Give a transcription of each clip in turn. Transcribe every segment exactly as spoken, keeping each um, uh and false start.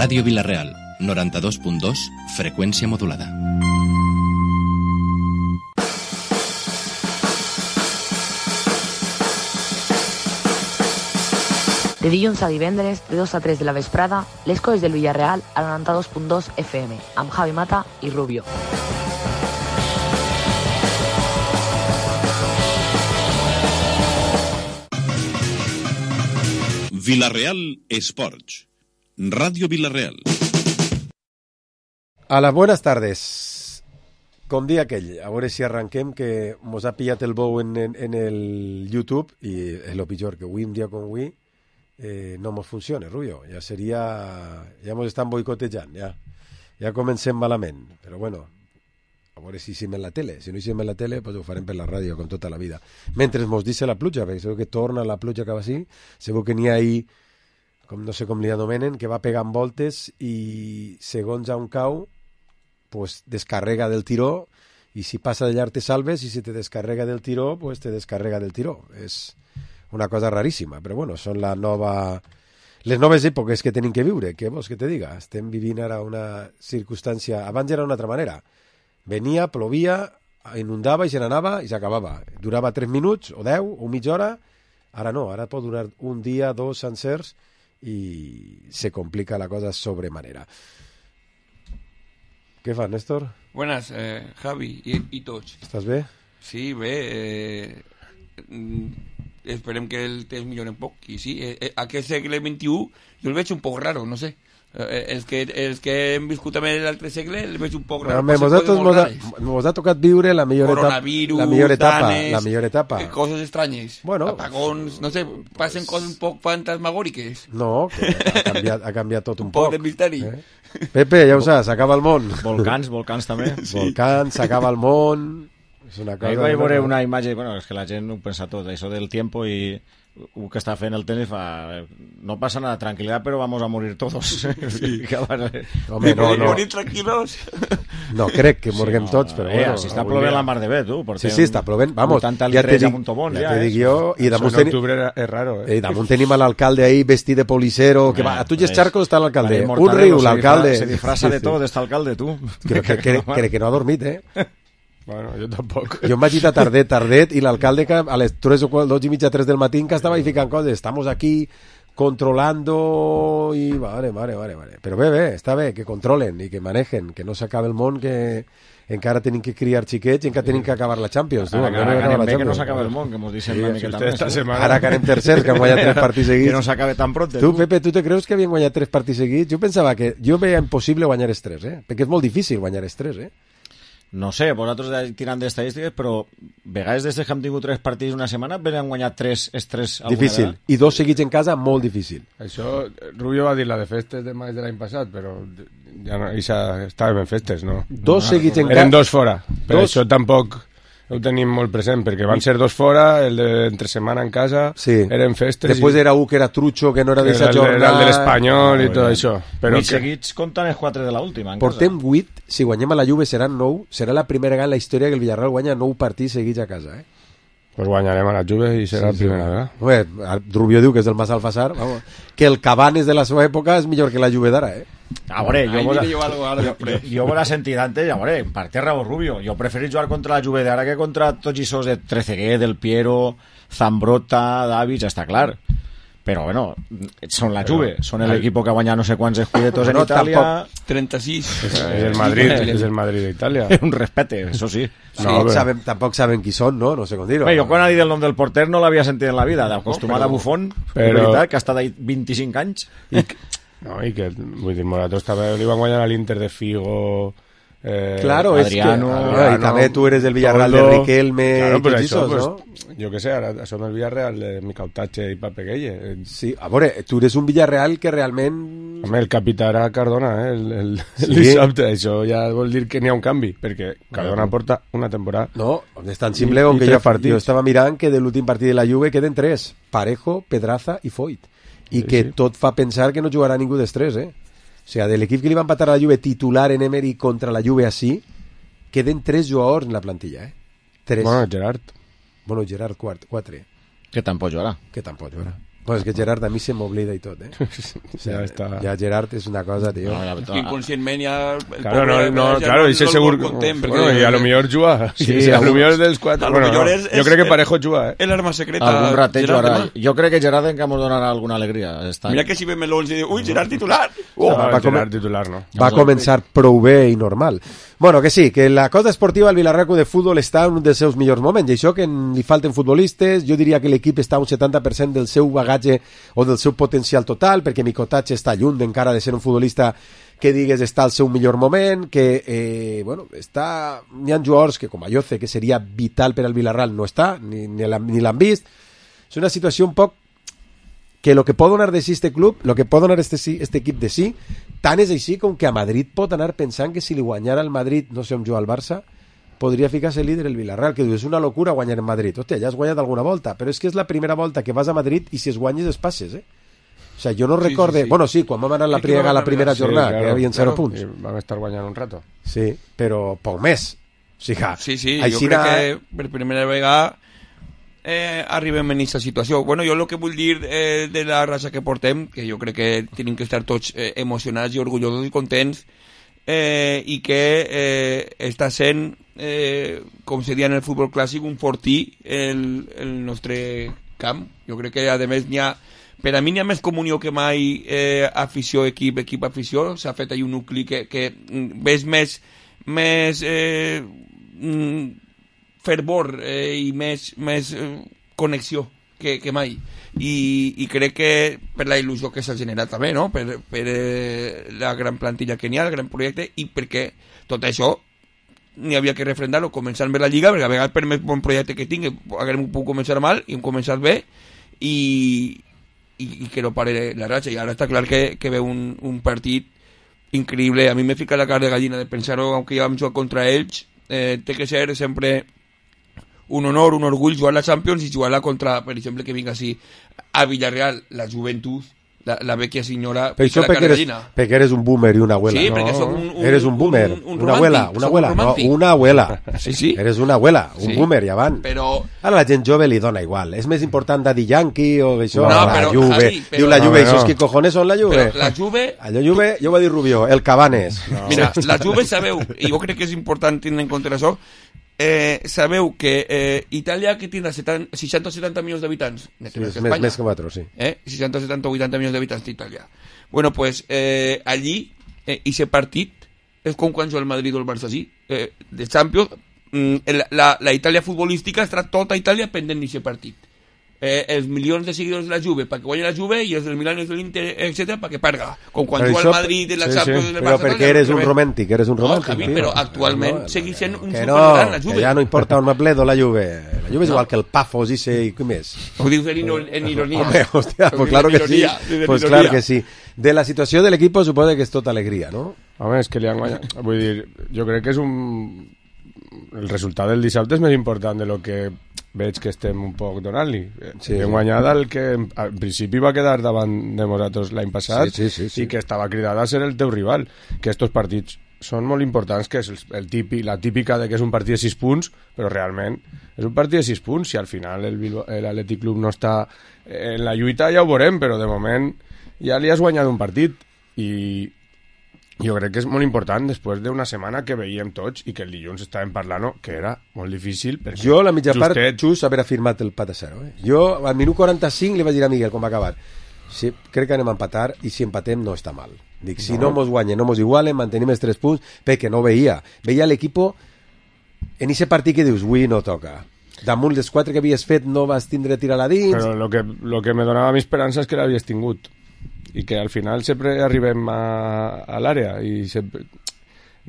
Ràdio Vila-real, noranta-dos punt dos, freqüència modulada. De dilluns a divendres, de dos a tres de la vesprada, les coses del Villarreal a noranta-dos punt dos F M, amb Javi Mata i Rubio. Vila-real Esports. Radio Vila-real. A las buenas tardes. Com dia aquell, a veure si arranquem, que mos ha pillat el bou en, en, en el YouTube i és lo pitjor, que avui, un dia com avui, eh, no mos funciona, Rubio. Ja seria... Ja mos estan boicotejant, ja. Ja comencem malament, però bueno, a veure si hicim en la tele. Si no hicim en la tele, pues ho farem per la ràdio, com tota la vida. Mentre mos dice la pluja, perquè segur que torna la pluja cap així, segur que n'hi ha ahí, com no sé com li anomenen, que va pegant voltes i segons a un cau, pues descarrega del tiró, i si passa de llarg te salves, i si te descarrega del tiró, pues te descarrega del tiró. És una cosa raríssima, però bueno, són la nova... les noves èpoques que tenim que viure, què vols que te diga? Estem vivint ara una circumstància... Abans era una altra manera. Venia, plovia, inundava i se n'anava i s'acabava. Durava tres minuts, o deu, o mitja hora. Ara no, ara pot durar un dia, dos sencers, y se complica la cosa sobremanera. ¿Qué fa, Néstor? Buenas, eh, Javi i, i tots. Estàs bé? Sí, bé. Eh, esperem que el temps millori un poc. I sí, eh, aquest segle vint-i-u jo el veig un poc raro, no sé. Eh, els, que, els que hem viscut també l'altre segle el veig un poc raro. Però nosaltres mos ha, mos ha tocat viure la millor etapa, la millor etapa, danes, la millor etapa. Eh, coses estranyes, bueno, apagons, no sé, passen pues... coses un poc fantasmagòriques. No, que ha canviat, ha canviat tot un, un poc. poc de misteri. Eh? Pepe, ja ho saps, s'acaba el món. Volcans, volcans també. Sí. Volcans, s'acaba el món. És una cosa... Ahí vaig veure una imatge, bueno, és que la gent ho pensa tot, això del tiempo i el que està fent el tenis fa... No passa nada, tranquilidad, pero vamos a morir todos. Sí. Home, no, no. Morir tranquilos. No crec que morguem sí, no, tots, però eh, bueno. Si està plovent la mar de bé, tu. Sí, sí, està plovent. Vamos, ja te dic, bon, ja te dic jo. I damunt tenim... octubre és raro, eh? I damunt tenim a l'alcalde ahí vestit de policero. Que va, a tu i els xarcos està l'alcalde. Un riu, l'alcalde. Se disfraza de tot, està alcalde, tu. Crec que, que, que, que no ha dormit, eh? Bueno, jo tampoc. Jo em vaig ir a tardet, tardet, i l'alcalde a les tres o dos i mitja, tres del matí que estava ficant coses. Estamos aquí controlando i... Vale, vale, vale, vale. Però bé, bé, està bé, que controlen i que manejen, que no s'acabe el món, que encara tenim que criar xiquets i encara tenim que acabar la Champions. Tu, ara, ara, ara, ara que no s'acabe el món, que mos deixen sí, una miqueta més. Setmana... Ara que anem tercers, que han guanyat tres partits seguits. Que no s'acabe tan pronte. Tu, Pepe, tu te creus que havien guanyat tres partits seguits? Jo pensava que... Jo veia impossible guanyar els tres, eh? Perquè és molt difícil guanyar els tres, eh? No sé, vosaltres tirant d'estadístiques, però vegades des que hem tingut tres partits una setmana han guanyat tres estrès alguna difícil. Vegada. I dos seguits en casa, molt difícil. Això, Rubio va dir la de festes de maig de l'any passat, però ja no, ja estàvem en festes, no? Dos no, seguits en casa. Eren dos fora, però dos... això tampoc ho tenim molt present, perquè van ser dos fora, el d'entre setmana en casa, sí. Eren festes... Després i... era un que era trucho, que no era d'aquesta jornada... Era el de l'Espanyol ah, i tot això. Però vuit que... seguits compten els quatre de l'última en Portem casa. vuit, si guanyem a la Juve seran nou, serà la primera vegada en la història que el Villarreal guanya nou partits seguits a casa, eh? Pues guanyarem a la Juve i serà sí, la primera sí. vegada. Bé, Rubio diu que és del Mas Alfasar, vamos, que el Cabanes de la seva època és millor que la Juve d'ara, eh? A veure, jo, vos, jo, jo, jo, jo vos la sentit antes, a veure, per té raó Rubio, jo preferís jugar contra la Juve d'ara que contra tots i sos de Trezeguet, Del Piero, Zambrota, Davids, està clar. Però bueno, són la Juve, però, són l'equip que guanya no sé quants escudetos en no, Itàlia. Tampoc, trenta-sis. És el Madrid, és el Madrid d'Itàlia. Un respecte, això sí. Sí, no, però... sabem, tampoc saben qui són, no? No sé com dir-ho. Bé, jo quan ha dit el nom del porter no l'havia sentit en la vida, d'acostumat no, però... a Buffon, però... veritat, que ha estat ahí vint-i-cinc anys. I, no, i que, vull dir, nosaltres també li van guanyar a l'Inter de Figo... Eh, claro, Adriano, es que Adriano, y también tú eres del Villarreal Toldo, de Riquelme claro, y pero tots això, esos, pues, ¿no? Jo que sé, ara som el Villarreal de Micautache i Pape Gueye. Sí, a veure, tu eres un Villarreal que realment... Home, el capità era Cardona, eh? El, el, sí. el dissabte, això ja vol dir que n'hi ha un canvi, perquè Cardona no. porta una temporada. No, és tan simple com que jo, jo estava mirant que de l'últim partit de la Juve queden tres, Parejo, Pedraza i Foyt, i sí, que sí. tot fa pensar que no jugarà ningú dels tres, eh? O sigui, de l'equip que li va empatar a la Juve titular en Emery contra la Juve així, queden tres jugadors en la plantilla, eh? Tres. Bueno, Gerard. Bueno, Gerard, quart, quatre. Que tampoc jugarà. Que tampoc jugarà. Pues que Gerard a mi se m'oblida i tot, eh? O sea, ja està. Ja Gerard és una cosa, tío. No, la- Inconscientment ja... el Claro, no, pobre, no, ja claro, y no ese el seguro. contem, perquè- Bueno, y a lo mejor juga. Sí, Sí, a lo algú- mejor dels cuatro. a lo Bueno, millor no. és- Yo és- creo que Parejo juga, eh. El arma secreta. Algun rateig Gerard ara. demà. Jo crec que Gerard encara mos donarà alguna alegria. Està... Mira que si ve melons i diu, ui, Gerard titular! Oh, No, va va com- titular, no. Va començar prou bé i normal. Bueno, que sí, que la cosa esportiva al Villarreal Club de Futbol està en un dels seus millors moments, i això que en- li falten futbolistes, jo diria que l'equip està un setanta per cent del seu bagatge o del seu potencial total, perquè Micotatge està lluny encara de ser un futbolista que digues està al seu millor moment, que eh, bueno, està... N'hi ha jugadors que, com Ayoce, que seria vital per al Villarreal, no està, ni, ni l'han ni l'han vist. És una situació un poc que lo que pot donar de sí este club, lo que pot donar este, sí, este equip de sí, tant és així com que a Madrid pot anar pensant que si li guanyara el Madrid, no sé on juga el Barça, podria ficar-se líder el Villarreal, que diu, és una locura guanyar en Madrid. Hòstia, ja has guanyat alguna volta, però és que és la primera volta que vas a Madrid i si es guanyes es passes, eh? O sea, jo no Sí, recorde... sí, sí. Bueno, sí, quan vam anar a la, Sí que priega, vam la primera anar, sí, jornada, claro, que hi havia zero claro. punts. I vam estar guanyant un rato. Sí, però poc més. O sigui, Sí, sí, jo així crec na- que per primera vegada eh, arribem en aquesta situació. Bueno, jo el que vull dir eh, de la raça que portem, que jo crec que tenim que estar tots eh, emocionats i orgullosos i contents, eh, i que eh, està sent, eh, com se dia en el futbol clàssic, un fortí el, el nostre camp. Jo crec que, a més, n'hi ha... Per a mi n'hi ha més comunió que mai eh, afició-equip, equip-afició. S'ha fet ahí un nucli que, que mm, ves més, més eh, mm, fervor eh, i més, més eh, connexió que, que mai. I, I crec que per la il·lusió que s'ha generat també, no? Per, per eh, la gran plantilla que n'hi ha, el gran projecte, i perquè tot això n'hi havia que refrendar-ho, començar bé la Lliga, perquè a vegades per més bon projecte que tingui haguem pogut començar mal i hem començat bé, i, i, i que no pare la ratxa. I ara està clar que, que ve un, un partit increïble. A mi m'he ficat la cara de gallina de pensar-ho, aunque ja vam jugar contra ells. Eh, té que ser sempre un honor, un orgull jugar la Champions i jugar-la contra, per exemple, que vinga així a Villarreal, la joventut, la, la vecchia senyora, Per això la perquè cara de eres, gallina. perquè eres un boomer i una abuela. Sí, no? perquè som un, un, Eres un boomer, un, un una abuela, romàntic, una som abuela, un no, romàntic. una abuela. Sí, sí. Eres una abuela, un Sí. boomer, ja van. Però Ara la gent jove li dona igual. És més important Daddy Yankee o això, No, la però, Juve. Javi, però- Diu la No, Juve, no. ¿esos qué cojones son la Juve? Però la Juve, Allò Juve, jo ho va dir Rubió, el Cabanes. No. mira, la Juve sabeu, i jo crec que és important tenir en compte això, eh, sabeu que eh, Itàlia, que tindrà seixanta o setanta milions d'habitants, Sí, més és que més, Espanya, més que quatre, sí. eh? seixanta, setanta o vuitanta milions d'habitants d'Itàlia. Bueno, pues eh, allí, eh, ese partit és com quan juga el Madrid o el Barça, sí, eh, de Champions, mm, la, la, la Itàlia futbolística estarà tota Itàlia pendent d'aquest partit. Eh, els milions de seguidors de la Juve perquè guanyi la Juve i els del Milan i els de l'Inter, etcètera, perquè perga. Com quan Però juga això- el Madrid i la sí, Champions sí. i el Però Barça. perquè eres un romàntic, eres un No, romàntic. Javi, tio. però actualment No, segueix sent un que supergran, la no, Juve. que ja no importa on me pledo la Juve. La Juve és No. igual que el Pafos i se, i què més. Ho dius en, iro- en ironia. Hombre, hostia, pues claro que sí. Pues claro que sí. De la situació de l'equip suposa que és tota alegria, no? Home, és que li han guanyat. Vull dir, jo crec que és un... El resultat del dissabte és més important de lo que veig que estem un poc donant-li. Sí, Sí, hem sí. guanyat el que al principi va quedar davant de nosaltres l'any passat Sí, sí, sí, sí. i que estava cridat a ser el teu rival. Que estos partits són molt importants, que és el, el típic, la típica de que és un partit de sis punts, però realment és un partit de sis punts. Si al final el Bilbao- l'Atlètic Club no està en la lluita ja ho veurem, però de moment ja li has guanyat un partit i jo crec que és molt important després d'una setmana que veiem tots i que el dilluns estàvem parlant que era molt difícil perquè Jo, la mitja part, justet- just haver afirmat el pat a zero. Eh? Jo, al minut quaranta-cinc, li vaig dir a Miguel, com va acabar, sí, crec que anem a empatar i si empatem no està mal. Dic, si no, no mos guanyen, no mos igualen, mantenim els tres punts, perquè no veia. Veia l'equipo en ese partit que dius, ui, no toca. Damunt dels quatre que havies fet no vas tindre a tirar-la dins. però lo que, lo que me donava mi esperança és que l'havies tingut i que al final sempre arribem a, a l'àrea i sempre...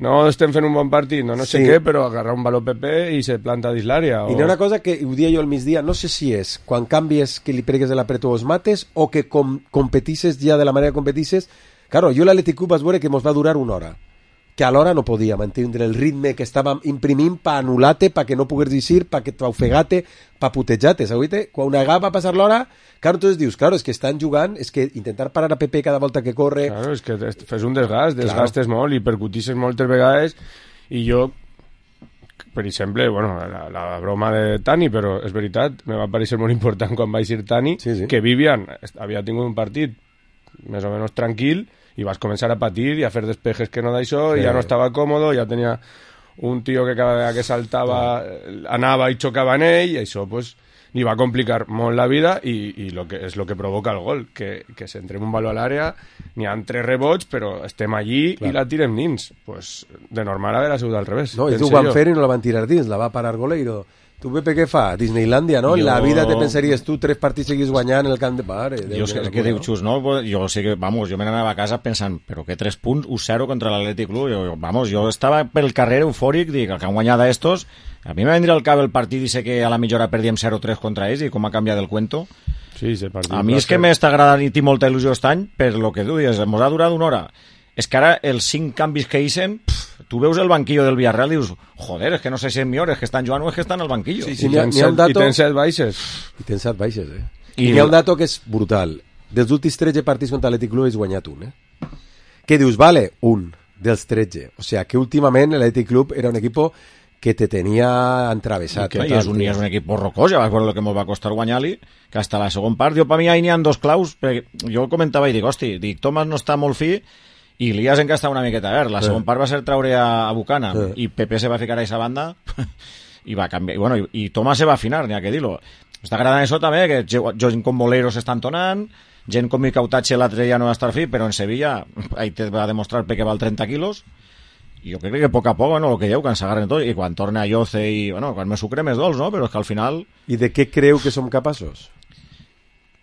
no estem fent un bon partit, no, no sé Sí. què, però agarrar un valor P P i se planta dins l'àrea. I n'hi ha una cosa que ho dia jo al migdia, no sé si és quan canvies que li pregues de l'apretó o els mates o que com, competisses ja de la manera que competisses. Claro, jo l'Atlètic Club vas veure que mos va durar una hora, que alhora no podia mantindre el ritme que estàvem imprimint pa anul·lar-te, pa que no pogués dir, pa que t'ofegar-te, pa putejar-te, saps? Quan una va passar l'hora, claro, entonces dius, claro, és que estan jugant, és que intentar parar a Pepe cada volta que corre... Claro, és que fes un desgast, desgastes molt i percutisses moltes vegades i jo per exemple, bueno, la, la broma de Tani, però és veritat, me va parecer molt important quan va eixir Tani, sí, sí. que Vivian havia tingut un partit més o menys tranquil i vas començar a patir i a fer despejes que no d'això, sí. I ja no estava còmodo, ja tenia un tio que cada vegada que saltava anava i xocava en ell, i això pues, li va complicar molt la vida i, i lo que, és el que provoca el gol, que, que s'entrem un baló a l'àrea, n'hi ha tres rebots, però estem allí clar. I la tirem dins. Pues, de normal haver sigut al revés. No, ells ho van fer i no la van tirar dins, la va parar Goleiro. Tu, Pepe, què fa? Disneylàndia, no? Jo... La vida te pensaries tu, tres partits seguís guanyant en el camp de pare. Jo sé que diu Xus, no? Jo sé que, vamos, jo me n'anava a casa pensant, però que tres punts, un zero contra l'Atlètic Club. Jo, vamos, jo estava pel carrer eufòric, dic, que han guanyat a estos. A mi me vendria al cap el partit i sé que a la mitja hora perdíem zero tres contra ells i com ha canviat el cuento. Sí, sí, partit. A mi és que m'està agradant i tinc molta il·lusió aquest any per lo que tu dius, mos ha durat una hora. És que ara els cinc canvis que eixen, tu veus el banquillo del Villarreal i dius, joder, és que no sé si és millor, és que estan jugant o és que estan al banquillo. Sí, sí, I, tens set, dato... i tens set baixes. I tens set baixes, eh? I, I hi ha un dato que és brutal. Dels últims tretze partits contra l'Atlètic Club has guanyat un, eh? Què dius? Vale, un dels tretze. O sigui que últimament l'Atlètic Club era un equip que te tenia entravessat. Que és un, és un equip borrocós, ja vas veure el que ens va costar guanyar-li, que hasta la segon part, jo per mi ahí n'hi ha dos claus, perquè jo comentava i dic, hosti, dic, Tomàs no està molt fi, i Lías encara està una miqueta verd. La sí. Segon part va ser traure a, a Bucana, sí. I Pepe se va ficar a aquesta banda, i va canviar, i, bueno, i, i Tomàs se va afinar, n'hi ha que dir-lo. Està agradant això també, que gent com Bolero s'estan tonant, gent com Micautache l'altre ja no va estar fi, però en Sevilla, ahí te va demostrar que val trenta quilos, i jo crec que a poc a poc, bueno, el que dieu, que ens agarren tot, i quan torna a Yoce i, bueno, quan me sucre més dolç, no? Però és que al final... I de què creu que som capaços?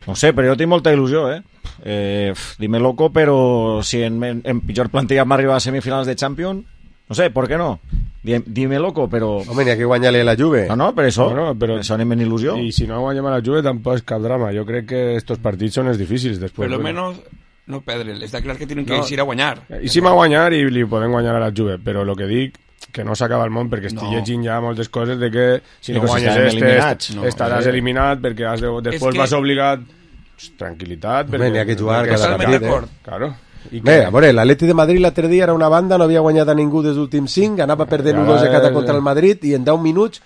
No sé, però jo tinc molta il·lusió, eh? eh dime loco, però si en, en, en pitjor plantilla m'arriba a semifinals de Champions, no sé, ¿por qué no? Dime, dime loco, però... Home, n'hi ha que guanyar-li a la Juve. No, no, per això, no, no, però... això anem en il·lusió. I si no guanyem a la Juve tampoc és cap drama. Jo crec que estos partits són els difícils després. Per lo menos... no perdre, està clar que tenen que no, eixir a guanyar. Eixim a guanyar i li podem guanyar a la Juve, però el que dic que no s'acaba el món, perquè estic no. llegint ja moltes coses de que si no, no guanyes este no, estaràs eh. eliminat perquè has de, després que... vas obligat tranquil·litat perquè... N'hi ha que jugar cada partit, eh? Claro. I bé, a veure, l'Atleti de Madrid l'altre dia era una banda, no havia guanyat a ningú des últims cinc, anava perdent un dos de cata contra el Madrid i en deu minuts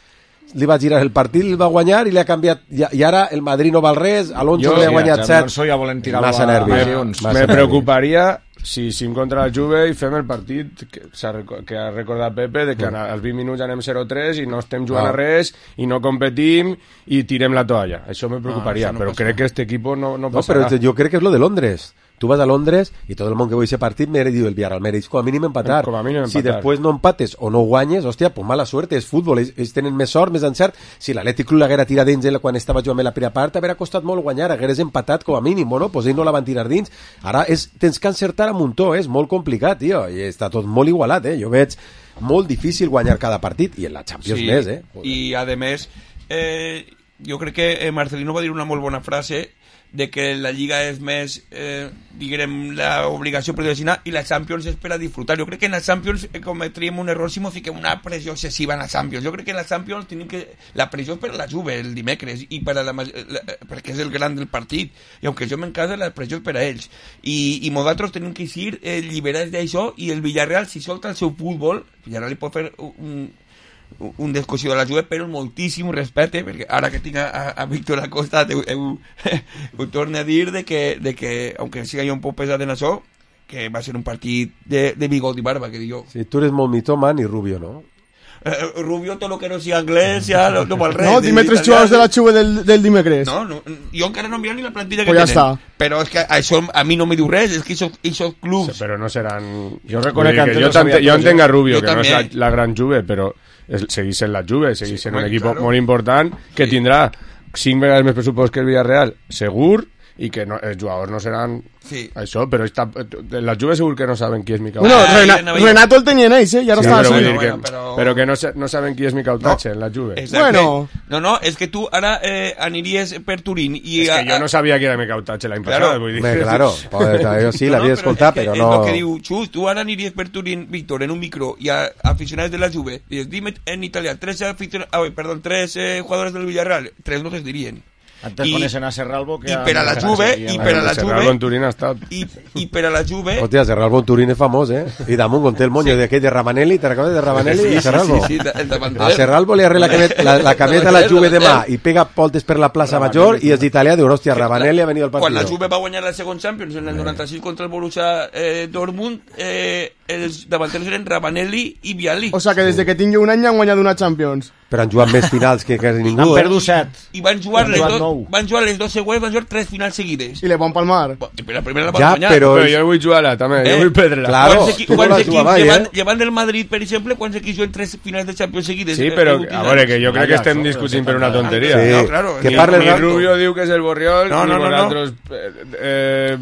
li va girar el partit, li va guanyar i li ha canviat, i, i ara el Madrid no val res, Alonso li ha guanyat set, ja massa nervis. Me, me preocuparia si sim contra la Juve i fem el partit que, que ha recordat Pepe de que mm. als vint minuts anem zero tres i no estem jugant ah. a res i no competim i tirem la toalla, això me preocuparia, ah, no però passa. Crec que este equipo no, no passarà. No, però jo crec que és lo de Londres. Tu vas a Londres i tot el món que veu aquest partit me diu el Villarreal mereix com a mínim empatar. Com a mínim empatar. Si després no empates o no guanyes, hòstia, pues mala suerte, és futbol, ells, ells tenen més sort, més encert. Si l'Atlètic Club l'haguera tirat dins quan estava jugant la primera part, hauria costat molt guanyar, hagueres empatat com a mínim, bueno, pues ells no la van tirar dins. Ara és, tens que encertar a muntó, és molt complicat, tio, i està tot molt igualat, eh? Jo veig molt difícil guanyar cada partit, i en la Champions sí, més, eh? I a més, eh, jo crec que Marcelino va dir una molt bona frase de que la Lliga és més, eh, diguem, l'obligació per decidir i la Champions és per a disfrutar. Jo crec que en la Champions cometríem un error si ens fiquem una pressió excessiva en la Champions. Jo crec que en la Champions tenim que... La pressió és per a la Juve el dimecres i per a la, la, perquè és el gran del partit. I aunque jo m'encasa, la pressió és per a ells. I, i nosaltres tenim que ser eh, lliberats d'això i el Villarreal, si solta el seu futbol, el Villarreal li pot fer un... un descosió de la Juve, però moltíssim respecte, perquè ara que tinc a, a Víctor Acosta ho, ho, ho torno a dir de que, de que, aunque siga jo un poc pesat en això, que va ser un partit de, de bigot i barba, que dic jo. Sí, tu eres molt mitoman i Rubio, no? Eh, Rubio, tot lo que no sigui anglès, ja no, no val res. No, dime tres jugadors de la Juve del, del dimecres. No, no, jo encara no he mirat ni la plantilla pues que ja tenen. Està. Però és que això a mi no me diu res, és que aquests clubs... Sí, però no seran... Jo reconec que jo, no jo entenc a Rubio, jo que també. no és la, la gran Juve, però és, segueix sent la Juve, segueix sí, sent un equip claro. molt important, que sí. Tindrà cinc vegades més pressupost que el Villarreal, segur, i que no, els jugadors no seran sí. això, però està, la Juve segur que no saben qui és Micautache. Bueno, Rena, Renato el tenien ells, eh? I ara sí, està però, bueno, que, bueno, però... però que no, no saben qui és Micautache no. En la Juve. Exacte. Bueno. No, no, és que tu ara eh, aniries per Turín i... És que jo no sabia que era Micautache l'any claro. passat, vull dir. Me, claro, jo sí, no, l'havia no, escoltat, però, però no... És el que diu Xus, tu ara aniries per Turín, Víctor, en un micro, i a aficionats de la Juve, dius, dime en italià, tres, aficion... ah, perdón, tres eh, jugadores del Villarreal, tres no te dirien. Antes I, coneixen a Serralbo que i per a la Juve i per a la Serralbo en Turín ha estat. i, i per a la Juve Hòstia, Serralbo en Turín és famós, eh? I damunt conté el moño sí. d'aquell de Ravanelli, ¿te recordes de Ravanelli? sí, a Serralbo. sí, sí, sí, el davanter. A Serralbo li arregla la cameta, la, la cameta a la Juve de mà i pega voltes per la plaça Major i els d'Italià diuen, hòstia, Ravanelli ha venit al partit. Quan la Juve va guanyar el segon Champions en el noranta-sis contra el Borussia eh, Dortmund, eh, els davanters eren Ravanelli i Vialli. O sea que des que tinc un any han guanyat una Champions. Però han jugat més finals que quasi ningú. Han eh? perdut set. I van jugar, les jugat dos, nou. van jugar les dos següents, van jugar tres finals seguides. I le van palmar. La primera la van Ja, guanyar. però... Però jo vull jugar-la, també. Eh? Jo vull perdre-la. Claro, Quants equi- tu no quants l'has equips jugat mai, llevant, eh? llevant del Madrid, per exemple, quants equips juguen tres finals de Champions seguides? Sí, eh, però, els últims a veure, anys? que jo crec que estem discutint per una tonteria. Sí, No, claro, que ni- parles Ni rato. Rubio diu que és el Borriol, No, no, ni no, no. vosaltres... Eh, eh,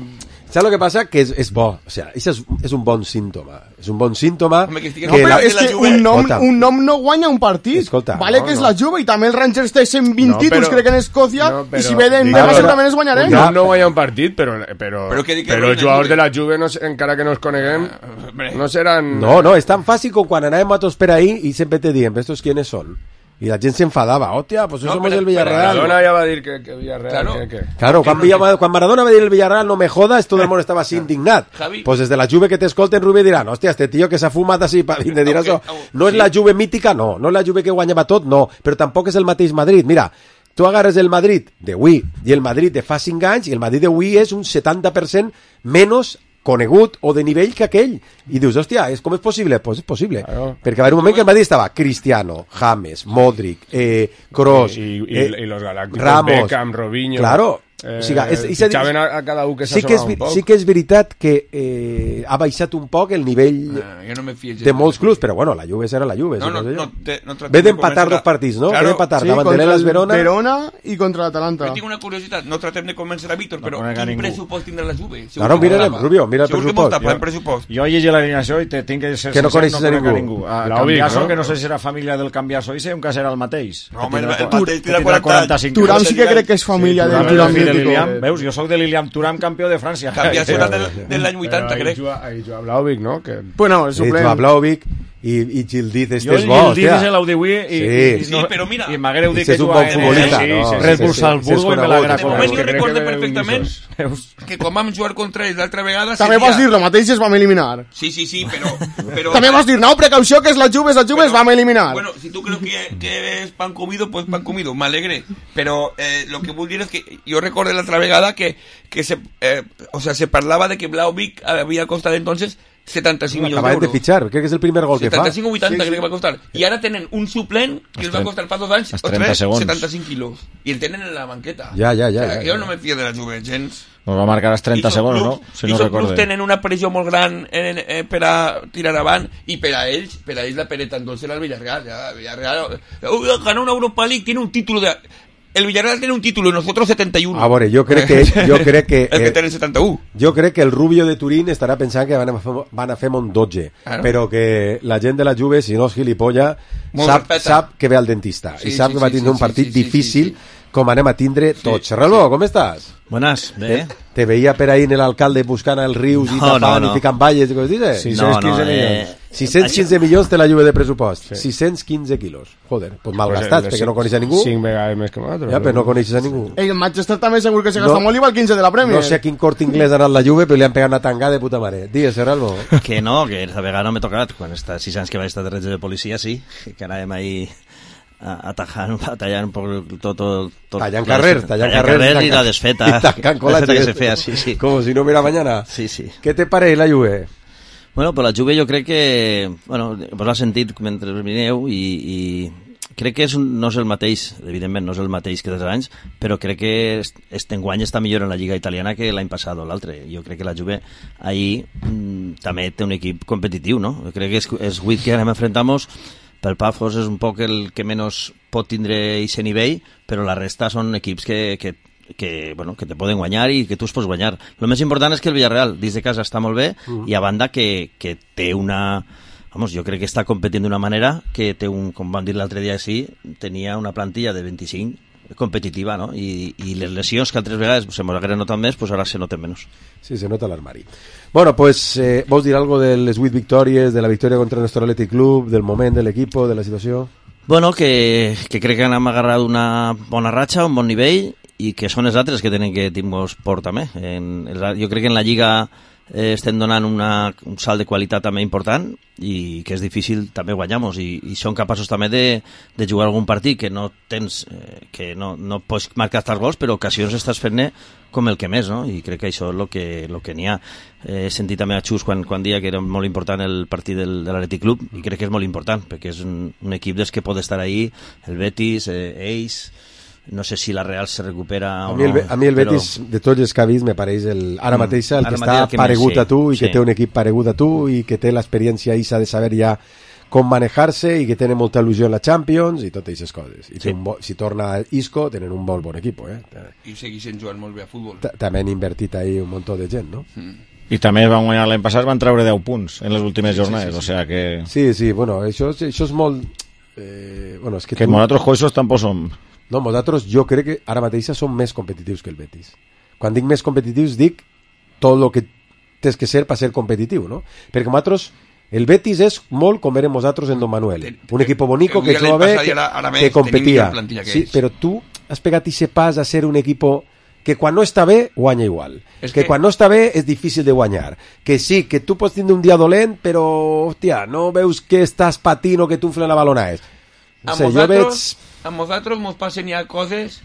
¿Sabes lo que pasa? Que es, es bo. O sea, ese es, es un bon símptoma. És un bon símptoma Home, que estigui- No, que però la... és la que Juve- un nom, Escolta. un nom no guanya un partit. Escolta, vale no, que és no. la Juve i també el Rangers té cent vint No, títols, però- crec, en Escòcia, no, però- i si ve de Diga, demà però- segurament els guanyarem. no, Ja. no guanya un partit, però, però, Però que di que però guanya els jugadors Juve. de la Juve, no, sé- encara que no els coneguem, hombre. no seran... No, no, és tan fàcil com quan anàvem a tots per ahí i sempre te diem, ¿estos quiénes son? Y la gente se enfadaba, hostia, pues No, somos pero- del Villarreal. Maradona ja va dir que, que Villarreal... Claro. Que, que... Claro, quan, Villa- quan Maradona va dir el Villarreal no me jodas, todo el mundo estaba así indignat. Javi. Pues desde la Juve que te escolten, Rubí dirán, hostia, este tío que s'ha fumat así para vindre dir això. Aunque- No és sí. la Juve mítica, no. No és la Juve que guanyava tot, no. Però tampoc és el mateix Madrid. Mira, tu agarres el Madrid d'avui i el Madrid de fa cinc anys i el Madrid d'avui és un setanta per cent menys conegut o de nivell que aquell. I dius, hòstia, és, com és possible? Pues és possible. Claro. Perquè va haver un moment que el Madrid estava Cristiano, James, Modric, eh, Kroos, Y, y, eh, y los galácticos, Ramos. Beckham, Robinho... Claro. Eh, O sigui, és, és a dir, fitxaven a, a cada un que sí que, és, s'assomava vi- un poc. sí que és veritat que eh, ha baixat un poc el nivell Ah, jo no me fío de molts clubs, però bueno, la Juve serà la Juve. No, si no, sé jo. no, te- no tratem Ve de d'empatar convèncer dos a- partits, no? Claro. Ve d'empatar Sí, davant de contra l'Elas el Verona. Verona i contra l'Atalanta. Jo tinc una curiositat, no tratem de convèncer a Víctor, però conec a quin ningú. pressupost tindrà la Juve? Segur Ara ho que mirarem, tapa. Rubio, mira el Segur que pressupost. mos tapa el Jo- pressupost. Jo llegit l'alineació i te tinc que ser Que no sincer, coneixes a conec ningú. A L'Aubic, Cambiaso, no? que no sé si era família del Cambiaso, i sé que serà el mateix. No, Que home, tindrà el qua- mateix que tindrà tindrà quaranta-cinc. quaranta-cinc Turam anys. sí que crec que és família Turam del és Turam el fill de mítico. Lilian. Veus, jo sóc de Lilian Turam, campió de França. Canviar Sí, serà sí, del, sí. de l'any vuitanta, Ahí crec. juga, ahí juga Vlahovic, no? Que... Bueno, el Sí, suplent. Joao Vlahovic i, i Gildiz, este Jo és el bo, Gildís hòstia. és l'Audiví i, Sí. i, Sí, però mira, i m'haguereu dit Este que és un jugava bon en futbolista, sí, no? sí, Sí, Red sí, Bull sí, Salzburgo sí, és i me conegut. l'haguera De moment jo que crec recorde que ve perfectament d'Unissos. que quan vam jugar contra ells l'altra vegada... També seria- vas dir, lo mateix es vam eliminar. Sí, sí, sí, però... però També vas dir, no, precaució, que és la Juve, és la Juve, es vam eliminar. Bueno, si tú crees que, que es pan comido, pues pan comido, me alegre. Pero eh, lo que vull dir es que yo recordé la otra vegada que, que se, eh, o sea, se parlava de que Vlahovic había costado entonces setanta-cinc milions Acaben de d'euros. fichar, crec que és el primer gol que fa. setanta-cinc o vuitanta crec que va costar. I ara tenen un suplent que els va costar fa dos anys els o trenta tres, segons. setanta-cinc quilos. I el tenen en la banqueta. Ja, ja, ja, O sigui, ja, que ja. jo no me fio de la Juve, gens. Nos va marcar els trenta I són segons, clubs- no? Si I no són clubs recorde. tenen una pressió molt gran en, eh, per a tirar avant i per a ells, per a ells la pereta entonces era el Villarreal. Ya, el Villarreal uh, ganó una Europa League, tiene un título de... El Villarreal tiene un título y nosotros setenta y uno. A veure, jo crec que, jo crec que, el que eh, tiene setanta u. jo crec que el Rubio de Turín estarà pensant que van a fer, van a fer un dotze, Claro. però que la gent de la Juve, si no és gilipolla, Molt sap, respecta. sap que ve al dentista Sí, i sap sí, que va sí, tindre sí, un partit sí, sí, difícil sí, com anem a tindre tots. Serralbo, com estàs? Buenas, bé. Te, te veia per ahí en l'alcalde buscant els rius i No, tapant no, no. i ficant valles i coses dices? Sí. No, sis-cents quinze no, milions. eh, sis-cents quinze milions té la Juve de pressupost. sis-cents quinze quilos. Joder, pues mal gastats, perquè no coneix a ningú. Cinc vegades més que nosaltres. Ja, però no coneixes a ningú. El Manchester també segur que se No. gasta molt i va al quinze de la Premier. No sé a quin Corte Inglés ha anat la Juve, però li han pegat una tangada de puta mare. Digues, Serralbo. Que no, que esta vegada no m'he tocat. Quan està sis anys que vaig estar de reig de policia, sí, que anàvem ahí a- atajant, batallant per tot... tot, tot Tallant carrer, tallant tallant carrer. carrer i la desfeta. Y tancant La desfeta que colaches. se feia, sí, sí. Como si no hubiera mañana. Sí, sí. ¿Qué te pareix la Juve? Bueno, però la Juve jo crec que... Bueno, vos l'ha sentit mentre vineu i, i crec que és un, no és el mateix, evidentment no és el mateix que dels anys, però crec que est, este enguany està millor en la Lliga Italiana que l'any passat o l'altre. Jo crec que la Juve ahir mm, també té un equip competitiu, no? Jo crec que és, és vuit que anem a enfrentar-nos. Pel Pafos és un poc el que menys pot tindre aquest nivell, però la resta són equips que, que, que, bueno, que te poden guanyar i que tu es pots guanyar. El més important és que el Villarreal, dins de casa, està molt bé, mm. i a banda que, que té una... Vamos, jo crec que està competint d'una manera que té un, com vam dir l'altre dia, sí, tenia una plantilla de vint-i-cinc competitiva, no? I, i les lesions que altres vegades se mos hagueren notat més, pues ara se noten menys. Sí, se nota l'armari. Bueno, pues, eh, ¿vos dir algo de les vuit victòries, de la victòria contra el Néstor Athletic Club, del moment de l'equipo, de la situació? Bueno, que, que crec que hem agarrat una bona ratxa, un bon nivell, i que són els altres que tenen que tindre por també. En, jo crec que en la Lliga eh, estem donant una, un salt de qualitat també important i que és difícil també guanyar-nos i, i són capaços també de, de jugar algun partit que no tens eh, que no, no pots marcar tants gols, però ocasions estàs fent-ne com el que més, no? I crec que això és el que, lo que n'hi ha. Eh, he sentit també a Xus quan, quan dia que era molt important el partit del, de l'Atlètic Club i crec que és molt important perquè és un, un equip des que pot estar ahí, el Betis, eh, ells, no sé si la Real se recupera a o mi el, no. A mi el Betis, però... de tots els que ha vist, me pareix el, ara Mm, mateix el ara que mateix està el que més, paregut sí, a tu i que sí. té un equip paregut a tu i que té l'experiència isa de saber ja com manejar-se i que tenen molta il·lusió en la Champions i totes aquestes coses. I Sí. té un bo, si torna Isco, tenen un molt bon equip, eh? I segueixen jugant molt bé a futbol. Ta- També han invertit ahí un munt de gent, no? I també van guanyar l'any passat, van treure deu punts en les últimes jornades, sí, sí. o sea que... Sí, sí, bueno, això, això és molt... Eh, bueno, és que, Que tu... nosaltres coixos tampoc som... No, nosaltres jo crec que ara mateix som més competitius que el Betis. Quan dic més competitius dic tot el que tens que ser per ser competitiu, no? Perquè nosaltres, el Betis és molt com érem nosaltres en Don Manuel. Un equip bonico que juga bé, que, que competia. Que sí, però tu has pegat ese pas a ser un equip que quan no està bé, guanya igual. És que, que- quan no està bé és difícil de guanyar. Que sí, que tu pots tindre un dia dolent, però, hòstia, no veus que estàs patint o que t'unflen la balona és. No A sé, jo nosaltres, veig... a nosaltres mos passen ja coses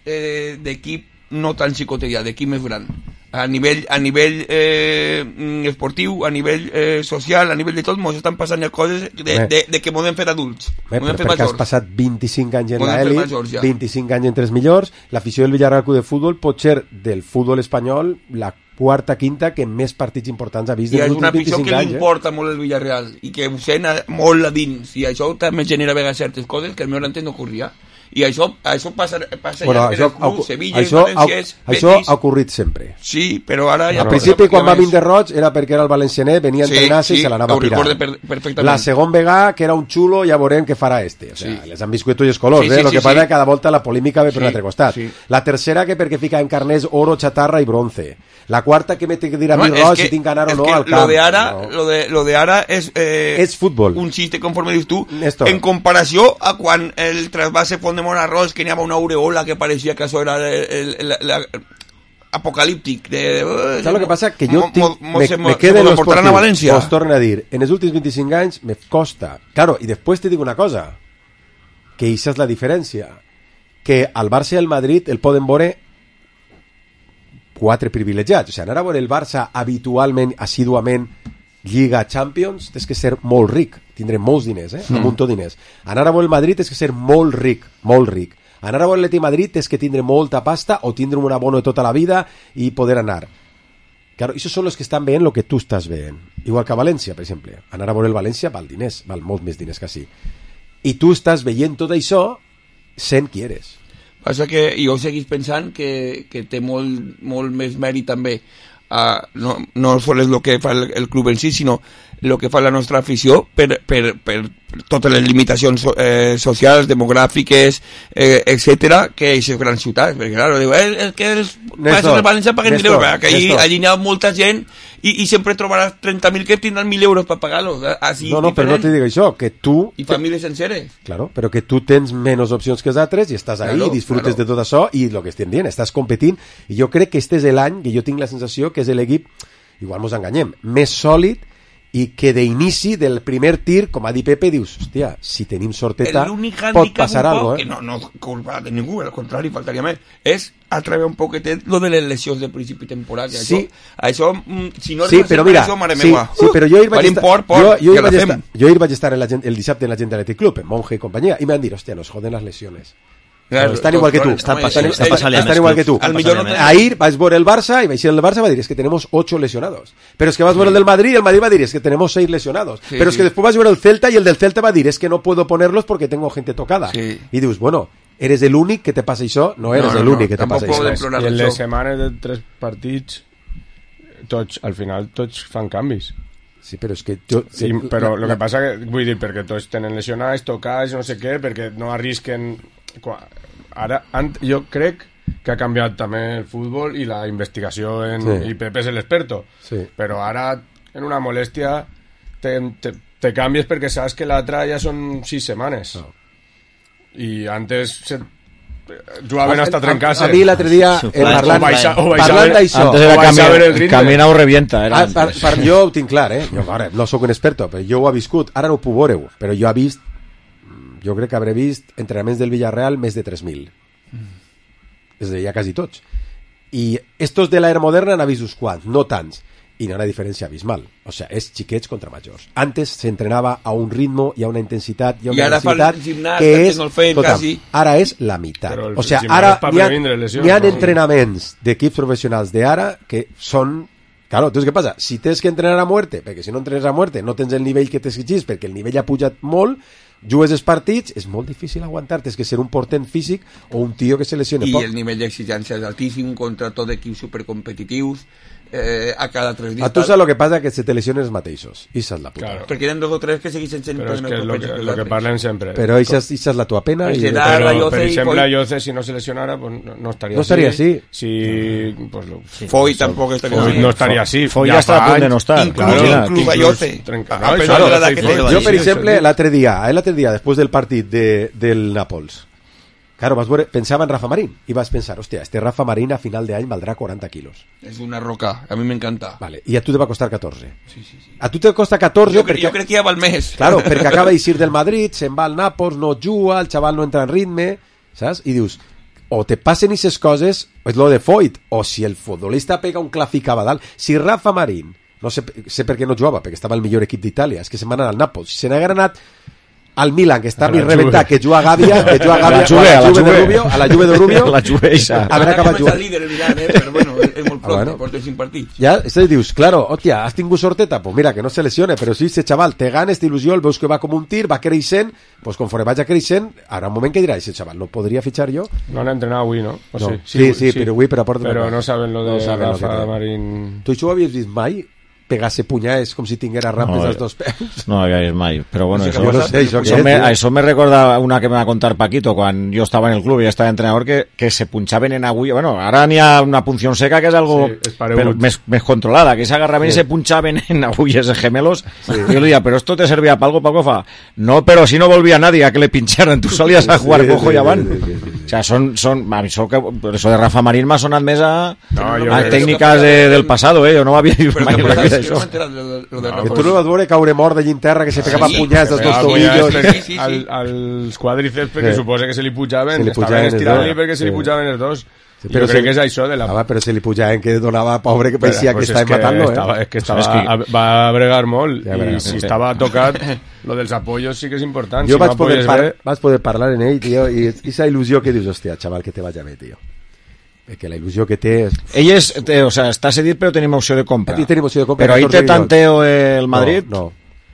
eh, d'equip no tan xicotella, d'equip més gran. A nivell, a nivell eh, mm, esportiu, a nivell eh, social, a nivell de tot, mos estan passant ja coses de, Bé. de, de que podem fer adults. Bé, Podem però fer perquè has majors. passat vint-i-cinc anys en Podem fer l'elit, majors, ja. vint-i-cinc anys entre els millors, l'afició del Villarreal Club de Futbol pot ser del futbol espanyol la quarta, quinta que més partits importants ha vist I dels és una últims afició vint-i-cinc que li anys. Eh? importa molt el Villarreal i que ho sent a- molt a dins i això també genera a vegades certes coses que al meu entès no ocorria i això, això passa, passa Bueno, ja això, en els clubs, Sevilla, això, Valenciès, això Betis. ha ocorrit sempre. Sí, però ara ja... Al principi, quan va vindre Roig, era perquè era el valencianer, venia a Sí, entrenar-se sí, i se l'anava ho a pirar. recorde per- perfectament. La segon vegada, que era un xulo, ja veurem què farà este. O sea, Sí. les han viscut tots els colors, Sí, eh? sí, Lo sí, que passa sí. és que cada volta la polímica ve per Sí, un altre costat. sí. La tercera, que perquè fica en carners oro, chatarra i bronce. La quarta, que me té que dir a mi No, es Roig que- si tinc ganar o es no que al lo camp. de ara, No. lo de, lo de ara és, eh, És futbol. un xiste, conforme dius tu, Néstor. en comparació a quan el trasvase Font de Monarrós, que n'hi havia una aureola que pareixia que això era el, el, el, el, apocalíptic. De, de, Saps el que passa? Que jo mo- tinc, mo- me, se me mo- queda se en mo lo portaran esportiu. a València. Os torno a dir, en els últims vint-i-cinc anys me costa. Claro, i després te dic una cosa, que això és la diferència, que al Barça i al Madrid el poden veure quatre privilegiats. O sigui, anar a veure el Barça habitualment, assíduament, Lliga, Champions, tens que ser molt ric, tindré molts diners, eh? un munt de diners. Anar a veure el Madrid tens que ser molt ric, molt ric. Anar a veure l'Atlètic Madrid tens que tindre molta pasta o tindre un abono de tota la vida i poder anar. Claro, esos son los que están veient lo que tú estás veient. Igual que a València, per exemple. Anar a veure el València val diners, val molts més diners que així. I tu estàs veient tot això sent qui eres. Passa que jo seguís pensant que, que té molt, molt més mèrit també uh, no, no sols el que fa el, el club en si, sinó el que fa la nostra afició per, per, per totes les limitacions eh, socials, demogràfiques, eh, etcètera, que aquestes grans ciutats, perquè clar, diu, eh, és que els països de València paguen mil euros, perquè allí, allí hi ha molta gent i, i sempre trobaràs trenta mil que tindran mil euros per pagar-los. Així, No, no, però no te dic això, que tu... I famílies senceres. Claro, però que tu tens menys opcions que els altres i estàs ahí, Claro, i disfrutes claro. de tot això i el que estem dient, estàs competint i jo crec que este és l'any que jo tinc la sensació que és l'equip, igual mos enganyem, més sòlid i que d'inici del primer tir, com ha dit Pepe, dius, hòstia, si tenim sorteta L'únic pot hàndicap passar un poc, algo, que eh? no, no és culpa de ningú, al contrari, faltaria més, és atraure un poquetet lo de les lesions de principi temporal. Que Sí. Això, això, mm, si no Sí, arribes però a mira, això, mare sí, meva. sí, però jo ahir vaig Parim estar, por, por, jo, jo que ahir la vaig fem. estar, jo ahir vaig estar en la, gent- el dissabte en la gent de l'Atlètic Club, en Monje i companyia, i m'han dit, hòstia, nos joden les lesiones. Claro, Estan igual que tú, home, Estan sí, passant, sí, està sí, passant ja están més igual clubs, que tú. estan Al millor passant no ja te- més. Ahir vas ver el Barça y vais a ir al Barça va a decir es que tenemos ocho lesionados. Pero es que vas a ver el del Madrid y el Madrid va a decir es que tenemos seis lesionados. Sí, Pero es sí. que después vas a ver el Celta y el del Celta va a decir es que no puedo ponerlos porque tengo gente tocada. Sí. Y dices, bueno, eres el únic que te passa això? No eres No, no, el no, únic que te tampoc passa podem això. plorar I en les això. setmanes de tres partits tots, al final tots fan canvis. Sí, però és que jo... Sí, però el que passa que, vull dir, perquè tots tenen lesionats, tocats, no sé què, perquè no arrisquen... Qua- Ara, ant, jo crec que ha canviat també el futbol i la investigació en, Sí. i Pepe és l'experto. Sí. Però ara, en una molèstia, te, te, te canvies perquè saps que l'altra ja són sis setmanes. No. I antes se, jugaven hasta trencar-se. A mi l'altre dia, eh, parlant, baixa, parlant d'això... Antes era cami camina o revienta. Era ah, per, per, jo ho tinc clar, eh? Jo, ara, no sóc un experto, però jo ho he viscut. Ara no ho puc veure, però jo he vist... Jo crec que hauré vist entrenaments del Villarreal més de tres mil. Mm. És a dir, ja quasi tots. I estos de l'era moderna n'ha vist uns quants, no tants. I no hi ha una diferència abismal. O sea, és xiquets contra majors. Antes s'entrenava a un ritmo i a una intensitat i a una I ara intensitat gimnàs, que és... no feien, total, quasi. ara és la meitat. El, o sea, ara hi ha, lesions, hi ha no? entrenaments d'equips professionals d'ara que són... Claro, entonces, ¿qué pasa? Si tens que entrenar a muerte, perquè si no entrenes a muerte no tens el nivell que t'exigís, perquè el nivell ha pujat molt, jugues els partits, és molt difícil aguantar, tens que ser un portent físic o un tio que se lesione I poc. el nivell d'exigència és altíssim contra tot equips supercompetitius, eh, a cada tres dies. A tu saps el que passa? Que se te lesionen els mateixos. I és la puta. Claro. Perquè eren dos o tres que segueixen sent Però és que és lo que, lo que parlem sempre. Però això és la tua pena. Pues I... serà Però, la Yoce per i exemple, Foy. Yoce, si no se lesionara, pues no, no estaria No así. estaria así. Si, pues, lo, Foy tampoc estaria Foy así. no estaria así. Foy ja està a punt de no estar. Inclús, Claro. inclús a Yoce. Trenca- A no, pesar això, de l'edat Yoce que i té. Foy. Jo, per Sí, exemple, sí. l'altre dia, eh, l'altre dia, després del partit de, del Nàpols, claro, vas veure, pensava en Rafa Marín i vas pensar, hòstia, este Rafa Marín a final d'any valdrà quaranta quilos. És una roca, a mi m'encanta. Vale, i a tu te va costar catorze. Sí, sí, sí. A tu te costa catorze Jo, crec, perquè... jo crec que ja val més. Claro, perquè acaba d'eixir del Madrid, se'n va al Nàpols, no juga, el xaval no entra en ritme, saps? I dius, o te passen aquestes coses, és lo de Foyt, o si el futbolista pega un clafic a dalt. Si Rafa Marín, no sé, sé per què no jugava, perquè estava el millor equip d'Itàlia, és que se'n van anar al Nàpols. Si se n'haguera anat al Milan, que està A la més rebentat, Juve. que juga a Gàbia, que juga a Gàbia, A la Juve, o a la Juve de Juve. Rubio, a la Juve de Rubio, La Juve eixa. habrà acabat Ara jugant. líder el Milan, eh? Però bueno, és molt Ah, prop, bueno. porta cinc partits. Ja, és a dir, dius, claro, hòstia, has tingut sorteta, pues mira, que no se lesione, però si ese xaval té ganes, té il·lusió, el veus que va com un tir, va creixent, pues conforme vagi creixent, ara un moment que dirà, ese xaval, ¿no podria fitxar jo? No han entrenado avui, ¿no? ¿O No. Sí, sí, però avui, però aporta una Però cosa. no saben lo de No saben lo que Rafa té. Marín. Tu això ho havies vist mai? Pegar-se punyades com si tinguera rampes No, als dos peus? No havia vist mai, però bueno, Sí que això, Jo no sé, això què això, és, me, tio? això me recorda una que me va contar Paquito quan jo estava en el club i estava entrenador, que, que se punxaven en agulla. Bueno, ara n'hi ha una punció seca que és algo Sí, és paregut. però més, més controlada, que s'agarraven Sí. i se punxaven en agulles de gemelos. Sí. Y yo le decía, ¿pero esto te servía para algo, Paco? Fa, no, pero si no volvía nadie a que le pincharan, tú salías a jugar Sí, cojo sí, y avant. sí, sí, sí. O sea, son, son, a mí eso, que, eso de Rafa Marín m'ha sonat més a, No, jo a crec- técnicas de, del pasado, eh? Yo no m'havia vist Però mai que en la vida jo no això. m'he enterat de lo de- lo de Rafa. Que tu no vas veure caure mort de llinterra, que se pegava Sí, punyades als que dos Ah, tobillos. ja, Sí, sí, sí. Al, als quadríceps, perquè Sí. suposa que se li pujaven, Se li estaven pujaven els estirant-li dos. perquè se li Sí. pujaven els dos. Sí, Jo però crec se- que és això de la... Ah, va, però se li pujaven que donava pobre que Però, parecia pues que és estava matant-lo, estava, eh? és que estava, És que- va bregar molt Ja i veràs, si sí. estava tocat, lo dels apoyos sí que és important. Jo si vaig, no poder apoyes par bé, vaig poder parlar en ell, tio, i aquesta il·lusió que dius, hòstia, xaval, que te vaya bé, tio. Perquè la il·lusió que té... És... Ell és, té, o sea, està cedit però tenim opció de compra. Aquí tenim opció de compra, Però ahí catorze té milions. tanteo el Madrid. No, no.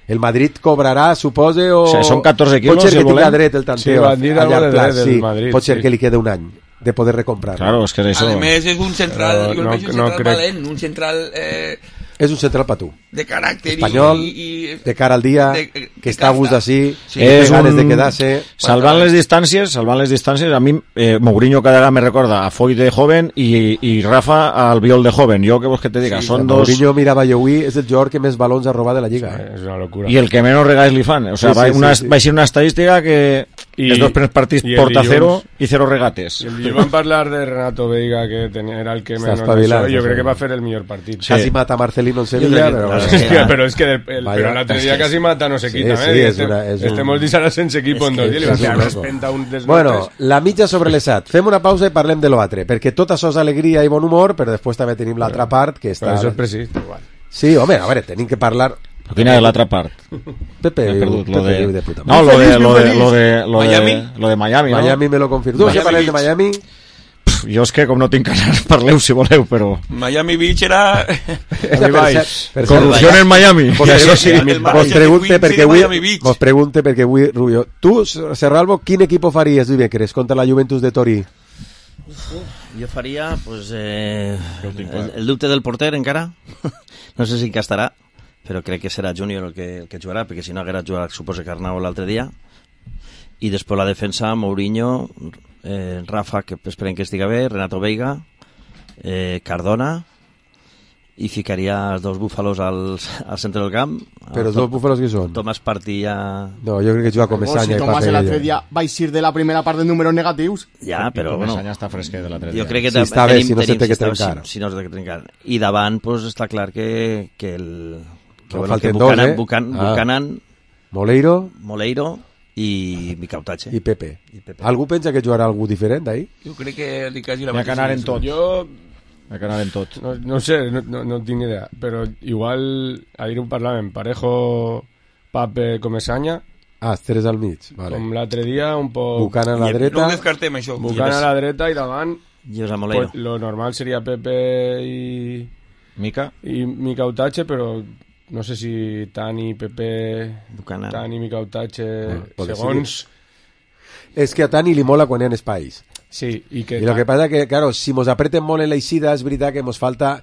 El Madrid cobrarà, supose, o... O sea, són catorze quilos, Pot ser si que el tinga volem. dret el tanteo. Sí, van dir a algo llarg de plaç, dret del sí. Madrid, Pot ser sí. que li quede un any de poder recomprar. Claro, és que és A això. més, és un central, Però jo el no- veig un no central crec- valent, un central eh, És un central per tu. de caràcter Espanyol, i, i, de cara al dia, de- que està a gust d'ací, Sí. que té És ganes un- de quedar-se... Salvant les distàncies, salvant les distàncies, a mi eh, Mourinho cada vegada me recorda a Foy de joven i, i Rafa al Biol de joven. Jo què vols que te diga? Sí, Són dos... Mourinho, mirava jo avui, és el jugador que més balons ha robat de la Lliga. Eh? és una locura. I el que menys regals li fan. O sea, Sí, va, sí, sí, una, sí. va a ser una estadística que I- els dos primers partits i el porta dilluns- cero i cero regates. I el dilluns vam parlar de Renato Veiga, que tenia, era el que Està menys espavilat, això, i jo està crec que va espavilat. fer el millor partit. Sí. Quasi mata Marcelino en Sevilla, crec que- però... claro, bueno. Sí, però és que el, el, Vaya. però l'altre dia quasi mata no se Sí, quita, sí, eh? és una- és un- Estem molts dies ara sense equip en dos dies, i li va és fer un una loco. espenta un dels Bueno, notes. la mitja sobre l'esat. Fem una pausa i parlem de l'altre, perquè tot això és alegria i bon humor, però després també tenim l'altra part que Però està... això és precís, igual. Sí, home, a veure, tenim que parlar... Però quina és l'altra part? Pepe, He perdut, Pepe lo de... de puta No, madre. lo de, lo de, lo de, lo de, Miami? lo de Miami, no? Miami me lo confirma. Tu, Miami ja parlem de Beach. Miami? Pff, jo és que com no tinc ganes, parleu si voleu, però... Miami Beach era... Per Vice. cert, per cert, Corrupció en Miami. Vos Ja, això pregunte- sí. el vos manager de pregunte Queens perquè de avui Miami Beach. vos pregunte perquè avui Rubio, tu Serralvo, quin equipo faries dimecres contra la Juventus de Torí? Jo faria pues, eh, el, el dubte del porter encara. No sé si encastarà, però crec que serà Júnior el que, el que jugarà, perquè si no haguera jugat, suposa que Arnau l'altre dia. I després la defensa, Mourinho, eh, Rafa, que esperem que estiga bé, Renato Veiga, eh, Cardona i ficaria els dos búfalos al, al centre del camp. Però els dos búfalos que són? Tomàs Partilla... No, jo crec que juga com Mesanya si i Tomàs Papel. l'altre dia va eixir de la primera part de números negatius. Ja, però bueno... Mesanya està fresquet de l'altre dia. Jo crec que si està bé, tenim, si no tenim, se té que si està- trencar. Si, si no se té que trencar. I davant, pues, està clar que, que el... Que, No, bueno, que falten Buchanan, dos, eh? Buchanan, Ah. Buchanan, Moleiro Moleiro i Micautache. i Pepe. I Pepe. Algú pensa que jugarà algú diferent d'ahir? Jo crec que li quasi la N'hi ha que anar en tot. Jo N'hi ha que anar en tot. no, no sé, no, no, no tinc ni idea, però igual ahir ho parlàvem, Parejo, Pape, Comesaña, Ah, els tres al mig. Vale. com l'altre dia, un poc Buchanan a la No dreta. ho descartem, això. Buchanan a la dreta i davant José Moleiro. pues, lo normal seria Pepe i, Mica? i Micautache, però no sé si Tani, Pepe, Buchanan. Tani, Micautache, Ah, pot segons... És que a Tani li mola quan hi ha espais. Sí, i que... I lo que pasa que, claro, si mos apreten molt en la eixida, és veritat que mos falta...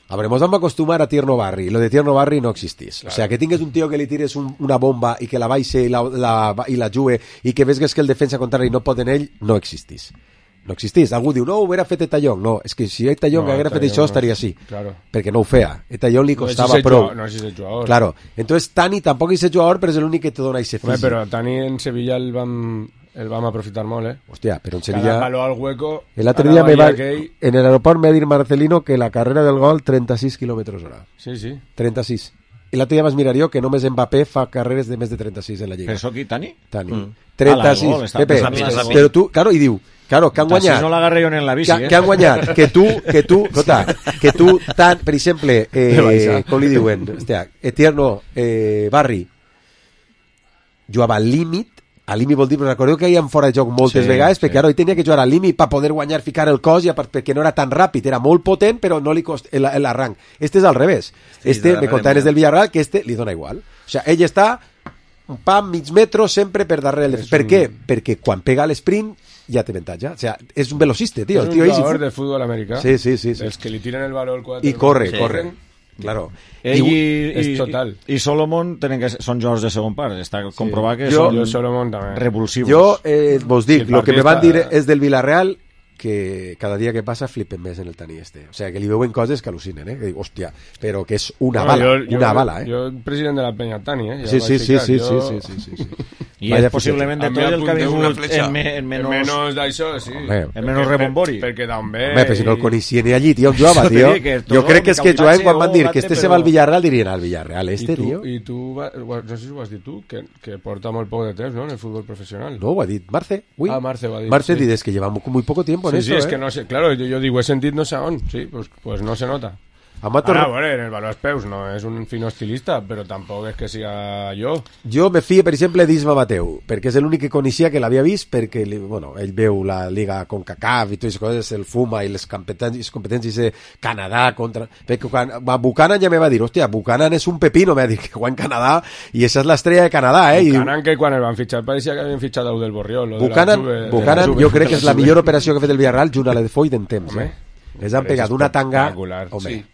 A veure, mos vam acostumar a Tierno Barri. Lo de Tierno Barri no existís. Claro. O sea, que tingues un tío que li tires un, una bomba i que la baixe i la, la, i la jugue i que veus que el defensa contrari no pot en ell, no existís. No existís. Algú diu, no, ho hubiera fet Etallón. No, és que si Etallón No, haguera fet Etallón això, no. estaria així. Claro. Perquè no ho feia. Etallón li No és costava ese prou. jugador, no és ese jugador. Claro. Entonces, Tani tampoc és ese jugador, però és l'únic que te dona ese Home, físic. però Tani en Sevilla el vam, el vam aprofitar molt, eh? Hòstia, però en Cada Sevilla... palo al hueco... El otro a la día me va, bahía aquell. en el aeropuerto me va a decir Marcelino que la carrera del gol treinta-sis kilómetros hora. Sí, sí. treinta-sis. I l'altre dia vas mirar jo que només Mbappé fa carreres de més de trenta-sis en la Lliga. Però això aquí, Tani? Tani. Mm. trenta-sis. Ah, la gol, està Pepe, pensant en la gol. però tu, claro, i diu, claro, que han Així guanyat... no l'agarré jo ni en la bici, que, eh? que han guanyat, que tu, que tu, escolta, que tu, tant, per exemple, eh, com li diuen, hòstia, Etierno eh, Barri, jugava al límit, al límit vol dir, però recordeu que hi ha fora de joc moltes Sí, vegades, perquè sí. ara ell tenia que jugar al límit per poder guanyar, ficar el cos, i a part, perquè no era tan ràpid, era molt potent, però no li cost el, el arranc. Este és al revés. Sí, Este, de me contaven darrere, des del Villarreal, que este li dona igual. O sea, ell està un pam, mig metro, sempre per darrere. El... És Per un- què? Perquè quan pega l'esprint ja té avantatge. O sea, és un velocista, tio. És El un tio ell, jugador de fútbol americà. Sí, sí, sí, sí. Els que li tiren el valor quatre. I corre, Sí. corre. Claro. Ell i, és i, total. i, i Solomon tenen que, són jugadors de segon part. Està comprovat que Jo- són Jo Solomon també. revulsius. Jo eh, vos dic, Sí, lo que me partista- van dir és del Villarreal que cada dia que passa flipen més en el Tani este. O sea, que li veuen coses que al·lucinen, eh? Que dic, hòstia, però que és una No, bala, jo- jo- una bala, eh? Jo, president de la Penya Tani, eh? Ja sí, ho sí, vaig sí, ficar. sí, Jo- sí, sí, sí, sí, sí. I Vaya és possiblement de A mi tot el que ha apunteu una vingut fletxa. en, me, en En menys... menys d'això, sí. Home, en menys rebombori. Perquè d'on ve... Home, però si no el coneixia ni allí, tio, on jugava, Això t'he tio. dit que Jo tot crec que és que Micautache Joan, quan van o dir Gante, que este se però- va al Villarreal, dirien al Villarreal, I este, tu, tio. I tu, va, no sé si ho has dit tu, que, que porta molt poc de temps, ¿no?, en el fútbol profesional. No, ho ha dit Marce. Ui. Ah, Marce ho ha dit, Marce sí. dices que llevamos muy poco tiempo en Sí, eso, sí, es eh? que no sé, claro, yo, yo digo, he sentit no sé on, sí, pues, pues no se nota. Amato, Ara, bueno, en el valor peus no és un fino estilista, però tampoc és que siga jo. jo me fie, per exemple, d'Isma Mateu, perquè és l'únic que coneixia que l'havia vist, perquè li- bueno, ell veu la Liga CONCACAF i totes les coses, el fuma i les competències, competències de Canadà contra... Perquè quan a Buchanan ja me va dir, hòstia, Buchanan és un pepino, me va dir que juega en Canadà i esa és l'estrella de Canadà, eh? I diu, Buchanan, que quan el van fitxar pareixia que havien fitxat a del Borriol. lo de la Buchanan, Juve- de Buchanan la Juve. jo crec que és la millor operació que ha fet el Villarreal junt a la de Foy d'en temps, Home, eh? Els han però és pegat una tanga, espectacular, home, sí.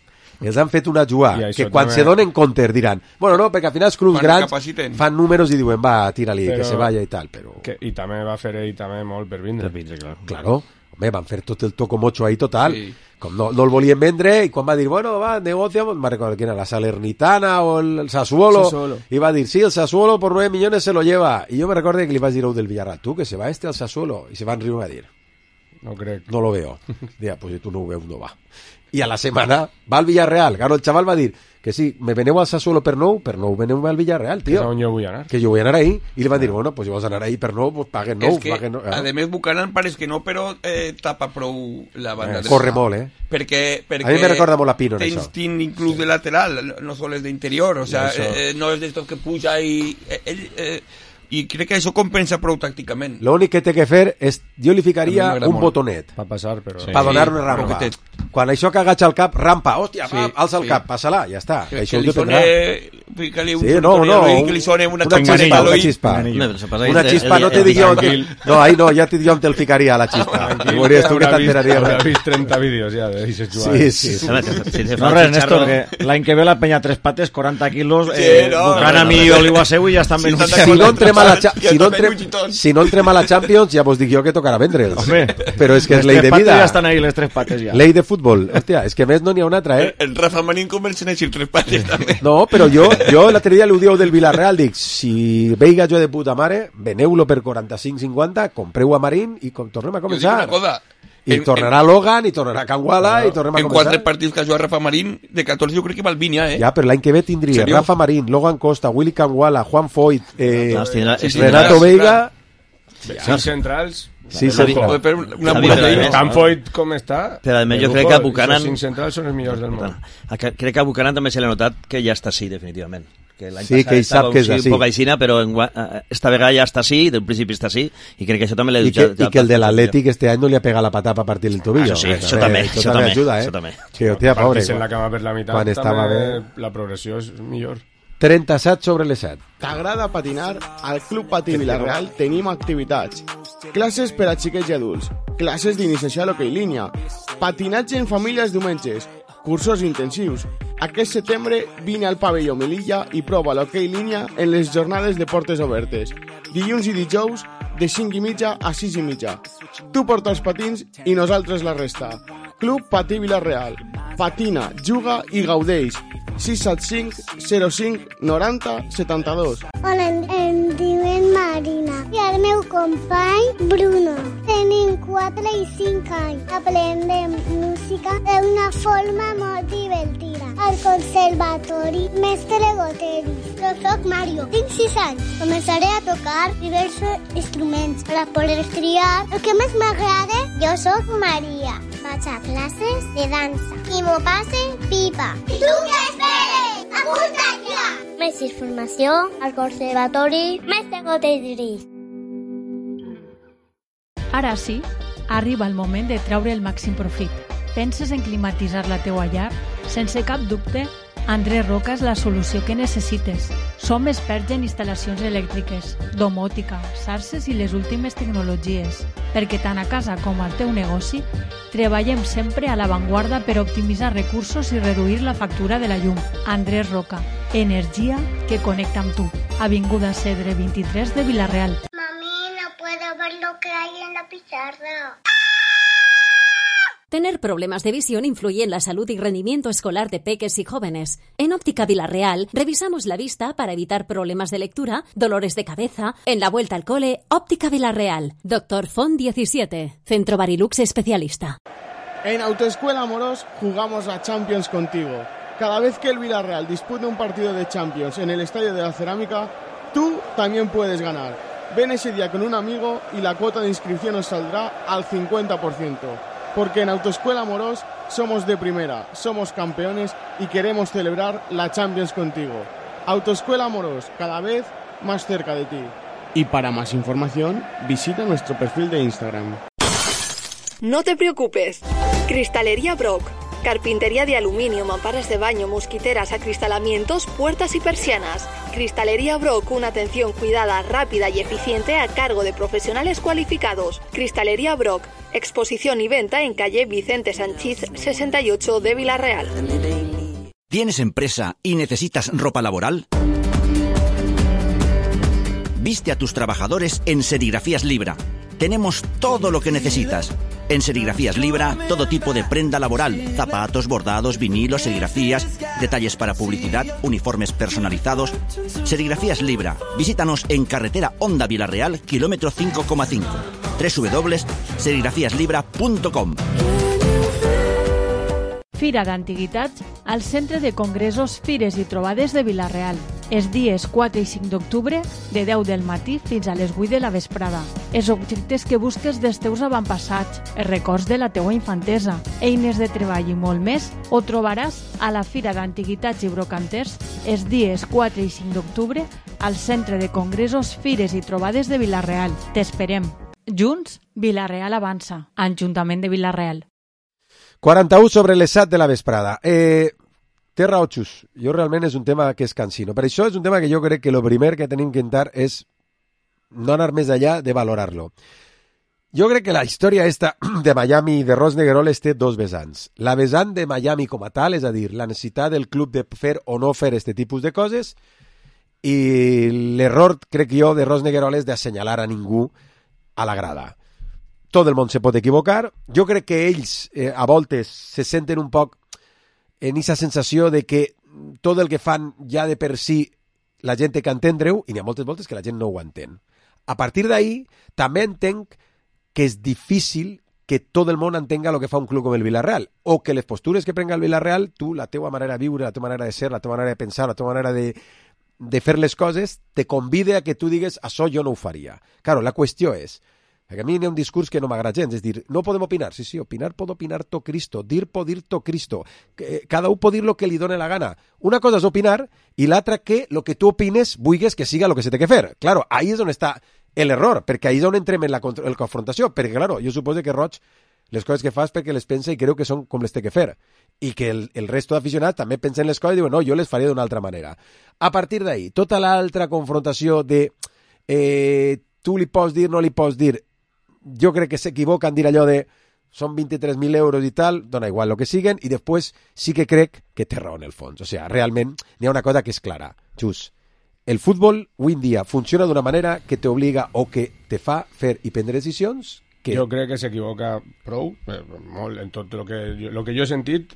els han fet una jugada I que això quan també- se donen compte diran, bueno, no, perquè al final els clubs Quan grans recapaciten. fan números i diuen, va, tira-li, Però- que se vaya i tal, però... Que, I també va fer ell també molt per vindre. Per vindre, clar. Claro, home, van fer tot el tocomocho ahí total. Sí. Com no, no el volien vendre, i quan va dir, bueno, va, negocia, me recordo quién era, la Salernitana o el, el Sassuolo, Sassuolo. y va a decir, sí, el Sassuolo por nueve millones se lo lleva. Y yo me recuerdo que le iba a decir a del Villarreal, tú, que se va este al Sassuolo, y se van riendo a dir, No crec. no lo veo. Diga, pues si tú no ho veus, no va. I a la setmana va al Villarreal. Claro, el xaval va dir que sí, me veneu al Sassuolo per nou, per nou veneu al Villarreal, Que és tio. on jo vull anar. Que jo vull anar ahí. I li van dir, bueno, pues si vols anar ahí per nou, pues paguen nou. És que, paguen nou. a més, Buchanan pareix que no, però eh, tapa prou la banda dreta. Corre molt, eh? Perquè, perquè A mi me recorda molt a Pino en té això. instint inclús de lateral, no- no sols d'interior, o sea, Això. eh, no és d'estos que puja i... Eh, ell, eh, i crec que això compensa prou tàcticament. L'únic que té que fer és, jo li A mi ficaria m'agrada un molt. botonet Va passar, però... Sí. per donar una Sí, rampa. roquetet. Quan això que agacha el cap, rampa, hòstia, Sí, va, alça el sí. cap, passa-la, ja està. Que, això que ho li dependrà. sone... Fica-li un Sí, no, sortó no, i un- que li sone una, una xispa chispa, a una l'oït. chispa. No, però se passa Una que chispa, el- no te el- dic jo... tranquil. No, ahí no, ja te dic jo on te'l ficaria, la chispa. I veuries tu que Haurà vist- t'enteraries. haurà vist trenta vídeos ja de d'aixes Sí, jugades. sí, sí. Home, si- si se fa No el res, chicharro- Néstor, que l'any que ve la penya tres pates, quaranta quilos, Sí, eh, no, Buchanan no, no, i no. Oliva Seu i ja estan ben Sí, Si no entrem a la, cha- Ja si no està entrem, ben bullitón. si no entrem a la Champions, ja vos dic jo que tocarà vendre'ls. Home, Però és que és les ley tres de pates vida. ja estan ahí, les tres pates ja. Ley de futbol. futbol. Hòstia, és que més no n'hi ha una altra, eh? El, el Rafa Marín conversa en els tres pares, també. No, però jo, jo l'altre dia li ho diu del Villarreal, dic, si veiga jo de puta mare, veneu-lo per quaranta-cinc cinquanta, compreu a Marín i com, tornem a començar. Jo dic una cosa, I en, tornarà en, Logan, i tornarà Canguala, no, i tornem a en començar. quatre partits que ha jugat Rafa Marín, de catorze jo crec que val vint ja, eh? Ja, però l'any que ve tindria ¿Serio? Rafa Marín, Logan Costa, Willy Canguala, Juan Foyt, eh, No, tindrà- sí, sí, Renato tindràs, Veiga... Cinc centrals... Sí, Podem central. fer una Javi, pura però de a més- Canfoyt com està... Però a més de jo crec lujo, que a Buchanan- esos cinc centrals són els millors del món. A que- Crec que a Buchanan també se l'ha notat que ja està així, definitivament. Que l'any Sí, passat que ell estava sap que és un, així. un poc aixina, però en, esta vegada ja està així, del principi està així, i crec que això també l'ha I que, i que el de l'Atlètic este any no li ha pegat la patata a partir del tobillo. Això sí, això també, Això això també també, ajuda, eh? això també. Que, hòstia, pobre. Partits en la cama per la meitat, quan estava també bé. la progressió és millor. trenta-set sobre les set. T'agrada patinar? Al Club Patí Vilareal tenim activitats. Classes per a xiquets i adults. Classes d'iniciació a l'hoquei línia. Patinatge en famílies diumenges. Cursos intensius. Aquest setembre vine al pavelló Melilla i prova l'hoquei línia en les jornades de portes obertes. Dilluns i dijous de cinc i mitja a sis i mitja. Tu porta els patins i nosaltres la resta. Club Patí Vilareal. Patina, juga i gaudeix. sis set cinc zero cinc noranta setanta-dos. Hola, em, em diuen Marina i el meu company Bruno. Tenim quatre i cinc anys. Aprendem música d'una forma molt divertida. Al conservatori Mestre Goteris. Jo soc Mario, tinc sis anys. Començaré a tocar diversos instruments per poder triar el que més m'agrada. Jo soc Maria. Vaig a classes de dansa i m'ho passe pipa. I tu què esperes? Apunta't ja! Més informació al Conservatori Mestre Goteris. Ara sí, arriba el moment de treure el màxim profit. Penses en climatitzar la teua llar? Sense cap dubte, Andrés Roca és la solució que necessites. Som experts en instal·lacions elèctriques, domòtica, xarxes i les últimes tecnologies, perquè tant a casa com al teu negoci treballem sempre a l'avantguarda per optimitzar recursos i reduir la factura de la llum. Andrés Roca, energia que connecta amb tu. Avinguda Cedre vint-i-tres de Vilareal. Mami, no puedo ver lo que hay en la pizarra. Tener problemas de visión influye en la salud y rendimiento escolar de peques y jóvenes. En Óptica Vilareal revisamos la vista para evitar problemas de lectura, dolores de cabeza. En la vuelta al cole, Óptica Vilareal. Doctor Font diecisiete, Centro Barilux Especialista. En Autoescuela Amorós jugamos a Champions contigo. Cada vez que el Villarreal dispute un partido de Champions en el Estadio de la Cerámica, tú también puedes ganar. Ven ese día con un amigo y la cuota de inscripción nos saldrá al cincuenta por ciento. Porque en Autoescuela Amorós somos de primera, somos campeones y queremos celebrar la Champions contigo. Autoescuela Amorós, cada vez más cerca de ti. Y para más información, visita nuestro perfil de Instagram. No te preocupes. Cristalería Brock. Carpintería de aluminio, mamparas de baño, mosquiteras, acristalamientos, puertas y persianas. Cristalería Brock, una atención cuidada, rápida y eficiente a cargo de profesionales cualificados. Cristalería Brock, exposición y venta en calle Vicente Sanchís sesenta y ocho de Vilareal. ¿Tienes empresa y necesitas ropa laboral? Viste a tus trabajadores en Serigrafías Libra. Tenemos todo lo que necesitas. En Serigrafías Libra, todo tipo de prenda laboral, zapatos, bordados, vinilos, serigrafías, detalles para publicidad, uniformes personalizados. Serigrafías Libra. Visítanos en carretera Honda Vilareal, kilómetro cinco coma cinco. doble u doble u doble u punt serigrafías libra punt com. Fira d'Antiguitats al Centre de Congressos, Fires i Trobades de Vilareal. Els dies quatre i cinc d'octubre, de deu del matí fins a les vuit de la vesprada. Els objectes que busques dels teus avantpassats, els records de la teua infantesa, eines de treball i molt més, ho trobaràs a la Fira d'Antiguitats i Brocanters els dies quatre i cinc d'octubre al Centre de Congressos, Fires i Trobades de Vilareal. T'esperem. Junts, Vilareal avança. Ajuntament de Vilareal. quaranta-u sobre les set de la vesprada. Eh, té raó, Xus. Jo realment és un tema que és cansino. Per això és un tema que jo crec que el primer que tenim que intentar és no anar més allà de valorar-lo. Jo crec que la història esta de Miami i de Ross Negueroles té dos vessants. La vessant de Miami com a tal, és a dir, la necessitat del club de fer o no fer aquest tipus de coses, i l'error, crec jo, de Ross Negueroles d'assenyalar a ningú a la grada. tot el món se pot equivocar. Jo crec que ells, eh, a voltes, se senten un poc en aquesta sensació de que tot el que fan ja de per si la gent té que entendre-ho, i n'hi ha moltes voltes que la gent no ho entén. A partir d'ahí, també entenc que és difícil que tot el món entenga el que fa un club com el Villarreal, o que les postures que prenga el Villarreal, tu, la teua manera de viure, la teua manera de ser, la teua manera de pensar, la teua manera de, de fer les coses, te convide a que tu digues, això jo no ho faria. Claro, la qüestió és, perquè a mi hi ha un discurs que no m'agrada gens, és dir, no podem opinar, sí, sí, opinar pot opinar to Cristo, dir pot dir to Cristo, cada un pot dir el que li dóna la gana. Una cosa és opinar, i l'altra que el que tu opines vulguis que siga el que se té que fer. Claro, ahí és on està l'error, perquè ahí és on entrem en la, en la confrontació, perquè, claro, jo suposo que Roig, les coses que fas perquè les pensa i creu que són com les té que fer, i que el, el resto d'aficionats també pensen les coses i diuen, no, jo les faria d'una altra manera. A partir d'ahí, tota l'altra confrontació de eh, tu li pots dir, no li pots dir, jo crec que s'equivoca en dir allò de són vint-i-tres mil euros i tal, dona igual el que siguen, i després sí que crec que té raó en el fons. O sigui, realment n'hi ha una cosa que és clara. Just, el futbol avui en dia funciona d'una manera que t'obliga o que te fa fer i prendre decisions que... Jo crec que s'equivoca prou, eh, molt, en tot el que, jo, lo que jo he sentit,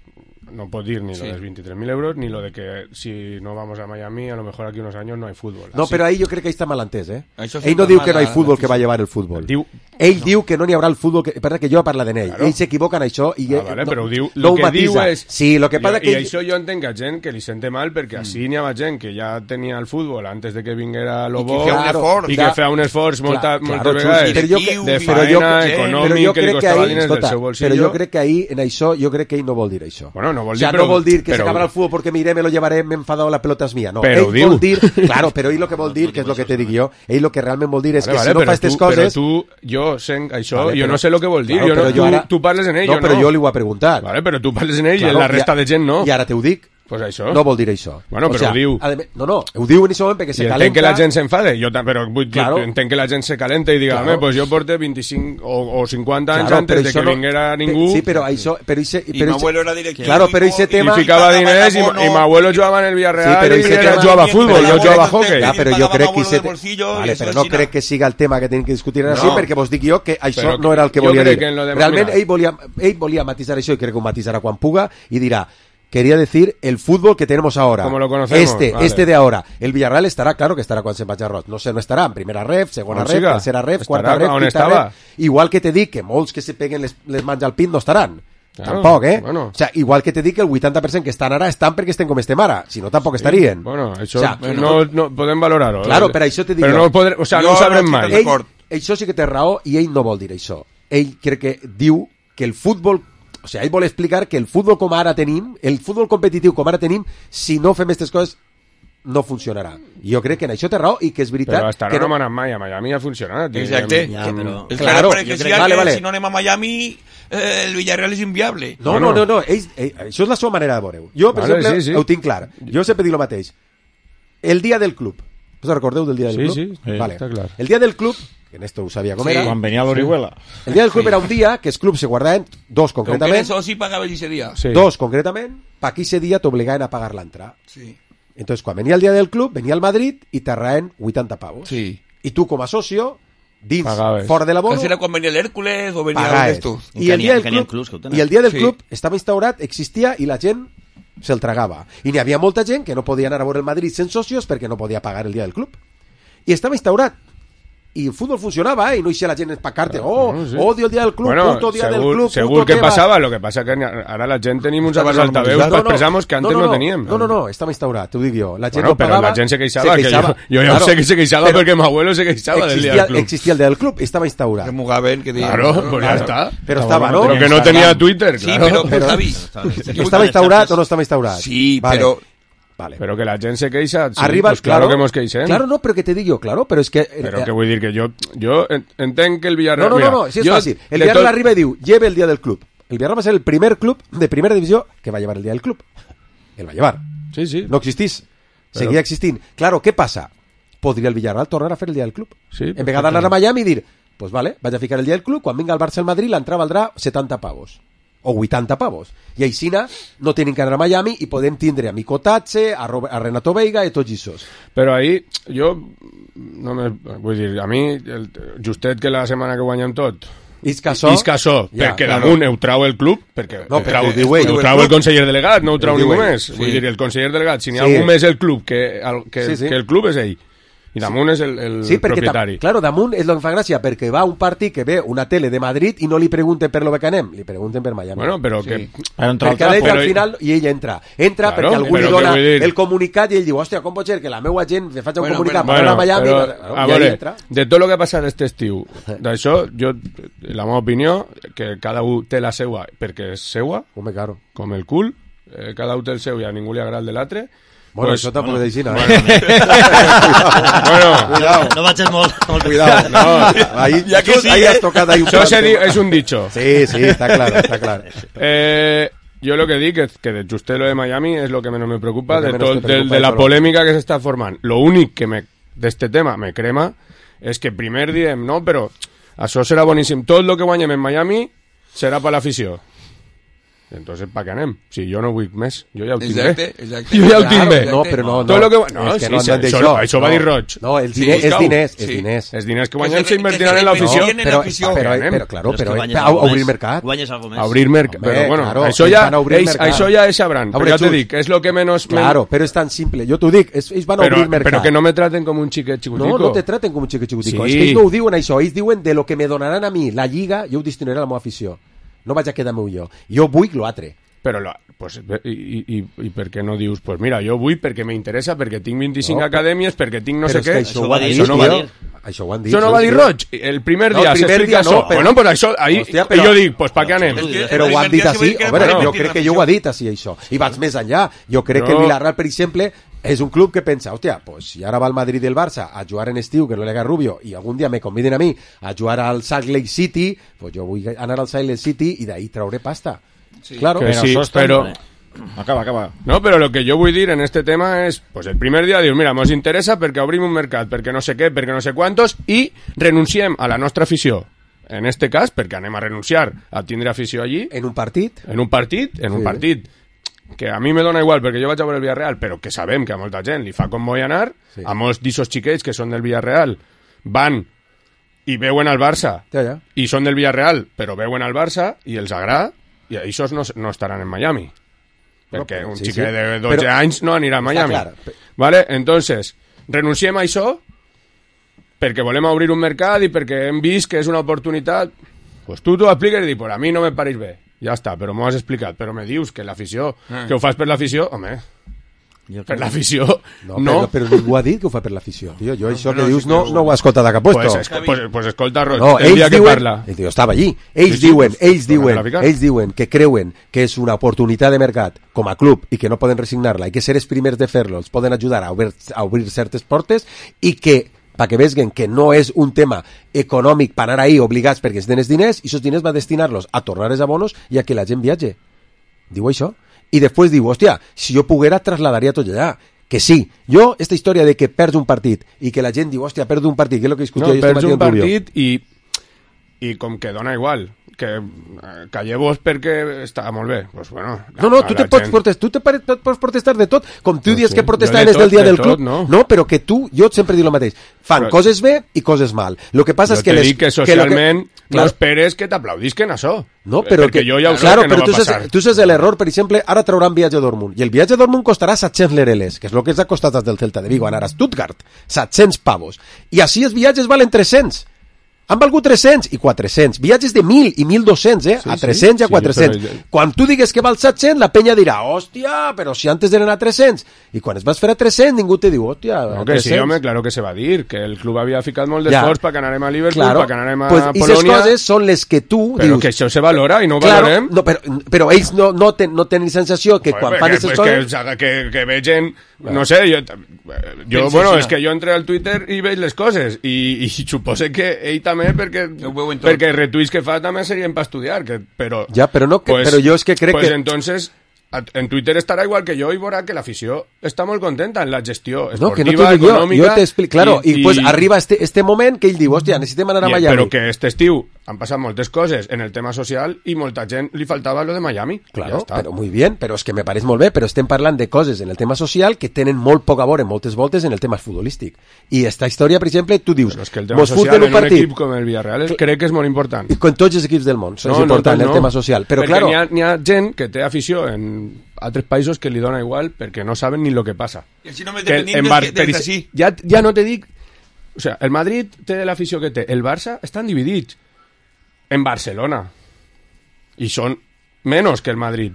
no pot dir ni sí. Lo de los veintitrés mil euros, ni lo de que si no vamos a Miami, a lo mejor aquí unos años no hay fútbol. No, Así. Però ahí jo crec que ahí està mal entès, eh? Ell no diu que no hi ha futbol que va llevar el futbol. Diu, ell no. diu que no n'hi haurà el futbol que... Perdó, que jo parla d'ell. Claro. Ell s'equivoca en això i... Ah, vale, no, però diu, no lo que diu és... Sí, lo que passa jo, que... I això jo entenc que gent que li sente mal perquè mm. així n'hi ha gent que ja tenia el futbol antes de que vinguera Lobo i que feia un esforç, i que feia un esforç molta, clar, moltes claro, vegades de feina, econòmic, que li costava diners del seu bolsillo. Però jo crec que ahí, en això, jo crec que ell no vol dir això. Bueno, no vol dir, o sea, però... no vol dir que però, s'acabarà el futbol porque miré, me lo llevaré, me he enfadado, la pelota es mía. No, però ell diu. vol dir... Claro, però ell lo que vol dir, que és lo que te dic jo, ell lo que realment vol dir és vale, que vale, si no però fa aquestes tu, coses... Però tu, jo sent això, vale, jo però, no sé lo que vol dir, claro, jo no, jo ara, tu, tu parles en ell, no, jo no. No, però jo li ho he preguntat. Vale, però tu parles en ell claro, i la resta i, de gent no. I ara te ho dic. Pues això. No vol dir això. Bueno, però o sea, ho diu. Además, no, no, ho diu en aquest moment perquè se I calenta. entenc que la gent s'enfade, jo, però vull, claro. jo entenc que la gent se calenta i diga, claro. pues jo porte vint-i-cinc o, o cinquanta anys claro, antes de que no, vinguera ningú. Sí, però això... Però ese, I però mi abuelo era directiu. Claro, però ese tema... I ficava diners i, i mi abuelo jugava en el Villarreal sí, i ese tema, jugava a futbol, jo jugava a hockey. Ja, però jo crec que ese... Vale, però no crec que siga el tema que tenim que discutir no. així, perquè vos dic jo que això no era el que volia dir. Realment ell volia, ell volia matisar això i crec que ho matisarà quan puga i dirà quería decir el fútbol que tenemos ahora. Como lo conocemos. Este, vale. este de ahora. El Villarreal estará, claro que estará cuando se vaya Roig. No sé, no estará en primera ref, segona ref, tercera ref, cuarta ref, quinta ref. Igual que te dic que molts que se peguen les, les mans al pin no estaran. Claro, tampoc, eh? Bueno. O sea, igual que te dic que el vuitanta per cent que estan ara estan perquè estem com estem ara. Si no, tampoc sí. estarien. Bueno, això o sea, no, no podem valorar-ho. Claro, però això te dic però no, podré, o sea, no ho sabrem mai. Ell, això sí que té raó i ell no vol dir això. Ell crec que diu que el futbol... O sigui, ell vol explicar que el futbol com ara tenim, el futbol competitiu com ara tenim, si no fem aquestes coses, no funcionarà. I jo crec que en això té raó i que és veritat... Però hasta ara que no, no m'ha anat mai, a Miami ha funcionat. Exacte. Ja, però... És claro, clar, perquè si, vale, que, vale. si no anem a Miami, eh, el Villarreal és inviable. No, no, no, no. Ell, ell, això és la seva manera de veure-ho. Jo, per vale, exemple, sí, sí. ho tinc clar. Jo sempre dic el mateix. El dia del club. Us recordeu del dia del sí, club? Sí, sí, vale. està clar. El dia del club, que en esto ho sabia com sí, era... Quan venia l'Orihuela. El dia del club sí. Era un dia que els clubs se guardaven, dos Com concretament... que eso sí pagava ese dia. Sí. Dos concretament, pa aquí ese dia t'obligaven a pagar l'entrada. Sí. Entonces, quan venia el dia del club, venia al Madrid i t'arraen vuitanta pavos. Sí. I tu, com a socio, dins, Pagaves. fora de la bono... Això era quan venia l'Hèrcules o venia pagaves. d'estos. I el dia del club, clubs, i el dia del sí. club estava instaurat, existia i la gent se'l tragava. I n'hi havia molta gent que no podia anar a veure el Madrid sense socios perquè no podia pagar el dia del club. I estava instaurat. I el futbol funcionava, eh? I no eixia la gent empacarte, oh, bueno, sí. odio el dia del club, bueno, puto dia segur, del club, segur puto que tema. passava, lo que passa que ara la gent tenim uns abans altaveus no, per no, expressar-nos que antes no, no, no, no teníem. No, no, no, estava instaurat, t'ho dic jo. La gent bueno, no però pagava, la gent se queixava, se queixava. que jo, jo ja claro, sé que se queixava perquè mi abuelo se queixava del dia del club. Existia el dia del club, estava instaurat. Que mugaven, que diuen... Claro, pues ya claro. está. Però estava, ¿no? Però que no tenia Twitter, Sí, claro. però, però Javi... Estava instaurat o no estava instaurat? Sí, vale. però... Vale. Pero que la gent se queixa, sí, Arriba, pues claro, claro que mos queixem. Claro, no, pero que te digo, claro, pero es que... Pero que vull dir que jo, jo entenc que el Villarreal... No, no, mira, no, no, sí es jo, fácil. El Villarreal tot... arriba y diu, lleve el día del club. El Villarreal va a ser el primer club de primera división que va a llevar el día del club. El va a llevar. Sí, sí. No existís. Pero... Seguía existint. Claro, ¿qué pasa? Podria el Villarreal tornar a fer el día del club. Sí, en vez de anar a Miami i dir, pues vale, vaig a ficar el día del club, quan vinga el Barça al Madrid l'entrada valdrà setanta pavos. O vuitanta pavos. I aixina no tenen que anar a Miami i podem tindre a Mico Tatze, a, Robert, a Renato Veiga i tots aquests. Però ahí, jo, no me, vull dir, a mi, el, justet que la setmana que guanyem tot, Isca so, Isca so ja, perquè claro. damunt ho trau el club, perquè No, ho trau, perquè ho diu ell. ho trau el conseller delegat, no ho trau Ho diu ningú ell. més. Sí. Vull dir, el conseller delegat, si n'hi ha Sí. algú més el club que el, que, Sí, sí. que el club és ell. I damunt és el, el Sí, perquè, propietari. ta- claro, damunt és el que fa gràcia, perquè va a un partit que ve una tele de Madrid i no li pregunten per lo que anem, li pregunten per Miami. Bueno, però sí. que... Perquè ell entra al final i ell entra. Entra Claro, perquè algú però li dona què vull dir? el comunicat i ell diu, hòstia, com pot ser que la meua gent me faci un Bueno, comunicat bueno, per anar a Miami? però, Claro, a i ahí veure, entra. de tot el que ha passat aquest estiu, d'això, jo, la meva opinió, que cada un té la seua perquè és seua, Home, claro. com el cul, eh, cada un té el seu i a ningú li agrada el de l'altre. Bueno, Pues- això tampoc bueno, és així, no? bueno. Bueno, Cuidado. No vagis molt, molt Cuidado. No, ahí, Ya que sí, ahí eh. has tocado ahí un Això se punto. di- és un dicho. Sí, sí, está claro, está claro. Eh, yo lo que digo es que de Justé lo de Miami es lo que menos me preocupa, Lo que de, menos todo, te preocupa de, de de la todo. polémica que se está formando. Lo único que me, de este tema me crema es que primer diem, no, però això serà boníssim. Tot el que guanyem en Miami serà per l'afició. Entonces, ¿para qué anem? Si jo no vull més, jo ja ho tinc Exacte, bé. exacte. Jo ja ho Claro, tinc bé. No, però no, no. Tot lo que... No, és que sí, no sí, han això, d'això. això va dir Roig. No, el Sí, diner, és busca-ho. diners, és Sí. diners. Els diners que Que guanyem se- s'invertiran que en se l'afició. beneficien en Però, l'afició. però, Anem. però, claro, és que però guanyes a, a algo obrir més. mercat. Guanyes algo més. A obrir mercat. Home, Però bueno, claro, això ells ja, van a obrir ells, mercat. això ja és sabran. A Però veure, ja te Xus. dic, és lo que menos... Claro, pero es tan simple. Jo t'ho dic, és, ells van a Però, obrir mercat. però que no me traten com un xiquet xicutico. No, no te traten com un xiquet xicutico. Sí. És que ells no ho diuen això. Ells diuen de lo que me donaran a mi la lliga, jo ho destinaré a la meva afició. No vaig a quedar-me jo. Jo vull l'altre. Però, la, pues, i, i, i, i per què no dius, pues mira, jo vull perquè m'interessa, perquè tinc vint-i-cinc No, acadèmies, perquè tinc no però sé és que què. això, Això ho va han dir, dit, això no va tio. dir. Això ho han dit. Això no va dir tio. Roig. El primer No, dia el primer s'explica dia no, això. però- Bueno, pues això, ahí, Hòstia, i però- jo dic, pues pa què anem? És que- Però el ho han primer dit dia se va així. dir que A era veure, per jo invertir crec en que jo ho l'afició. he dit així, això. I vaig més enllà. Jo crec que No. el Villarreal, per exemple, és un club que pensa, hòstia, pues si ara va el Madrid i el Barça a jugar en estiu, que no le haga Rubio, i algun dia me conviden a mi a jugar al Salt Lake City, pues jo vull anar al Salt Lake City i d'ahí trauré pasta. Claro. Que Pero sí, eso está- pero... Acaba, acaba. No, però lo que jo vull dir en este tema és, pues el primer dia dius, mira, mos interessa perquè obrim un mercat, perquè no sé què, perquè no sé quantos, i renunciem a la nostra afició. En este cas, perquè anem a renunciar a tindre afició allí, En un partit, en un partit, en un Sí. partit que a mi me dona igual perquè jo vaig a veure el Villarreal, però que sabem que a molta gent li fa com vull anar, Sí. a molts d'ixos xiquets que són del Villarreal van i veuen al Barça ja, ja. i són del Villarreal, però veuen al Barça i els agrada, i això no, no estaran en Miami. Perquè però- un sí, xiquet sí. de dotze Però- anys no anirà a Està Miami. clar. Vale? Entonces, renunciem a això perquè volem obrir un mercat i perquè hem vist que és una oportunitat. Pues tu t'ho expliques i dius, pues a mi no me pareix bé. Ja està, però m'ho has explicat. Però me dius que l'afició, Ah. que ho fas per l'afició, home, Jo per crec- l'afició, No, no. Però, però ningú ha dit que ho fa per l'afició, tio. Jo això que no, dius sí, no, però- no ho he escoltat a cap puesto. Pues, es, pues, pues escolta, Roig, No, el ells dia que diuen, parla. el tio estava allí. Ells Sí, sí, diuen, pues, ells torna-la diuen, a ficar. ells diuen que creuen que és una oportunitat de mercat com a club i que no poden resignar-la i que ser els primers de fer-lo els poden ajudar a obrir, a obrir certes portes i que perquè veguen que no és un tema econòmic per anar ahí obligats perquè es den els diners i aquests diners va destinar-los a tornar els abonos i a que la gent viatge. Diu això. I després diu, hòstia, si jo poguera trasladaria tot allà. Que sí, jo, esta història de que perds un partit i que la gent diu, hòstia, perdo un partit, que és el que discutia No, jo este perds matí un amb Rubio. partit i, i com que dona igual que eh, calleu-vos perquè està molt bé, pues bueno, No, no, a tu la te pots gent- protestar, tu te pare- te pots protestar de tot, com tu No, dius sí. que protestar Jo de és del tot, dia de del tot, club. no. No, però que tu, jo sempre dic el mateix, fan Però- coses bé i coses mal. Lo que passa jo és que te les, dic que lo socialment no Clar. esperes que t'aplaudisquen això. No, però perquè que, jo ja ho sé claro, que no però va tu saps, passar. tu saps l'error, per exemple, ara trauran viatge a Dortmund, i el viatge a Dortmund costarà set-cents lereles, que és el que ens ha costat des del Celta de Vigo anar a Stuttgart, set-cents pavos, i així els viatges valen tres-cents. Han valgut tres-cents i quatre-cents. Viatges de mil i mil dos-cents, eh? Sí, a sí. tres-cents i a Sí, quatre-cents. però- Quan tu digues que val set-cents, la penya dirà, hòstia, però si antes eren a tres-cents. I quan es vas fer a tres-cents, ningú te diu, hòstia, No, a que sí, tres-cents. home, claro que se va dir, que el club havia ficat molt Ja. d'esforç perquè anarem a Liverpool, Claro. perquè anarem a Pues, i les Polònia, coses són les que tu però dius... que això se valora i no ho Claro, valorem. no, però, però ells no, no, ten, no tenen sensació que Joder, quan pues fan que, aquestes pues coses... que, que, que vegen, no sé, jo, jo Pensa bueno, així, és que jo entré al Twitter i veig les coses i, i supose que ell també perquè, Ho veuen tot. perquè retuits que fa també serien per estudiar, que, però... Ja, però no, que, però jo és que crec pues que... entonces a- en Twitter estarà igual que jo i veurà que l'afició està molt contenta en la gestió No, que no esportiva, t'ho dic jo, econòmica... jo t'explico, claro, i, i pues arriba este, este moment que ell diu, hòstia, necessitem anar a i- Miami. Però que este estiu han passat moltes coses en el tema social i molta gent li faltava lo de Miami. Claro, ja però muy bien, però és que me pareix molt bé, però estem parlant de coses en el tema social que tenen molt poc a veure moltes voltes en el tema futbolístic. I esta història, per exemple, tu dius... Però és que el tema social en un, un equip com el Villarreal crec que és molt important. I con tots els equips del món, no, és important no, no, el tema social. Però perquè claro... n'hi ha, n'hi ha gent que té afició en altres països que li dona igual perquè no saben ni lo que passa. I així només depenent Bar- del que sí. Ja, ja no te dic... O sea, el Madrid té l'afició que té. El Barça estan dividits. En Barcelona y son menos que el Madrid,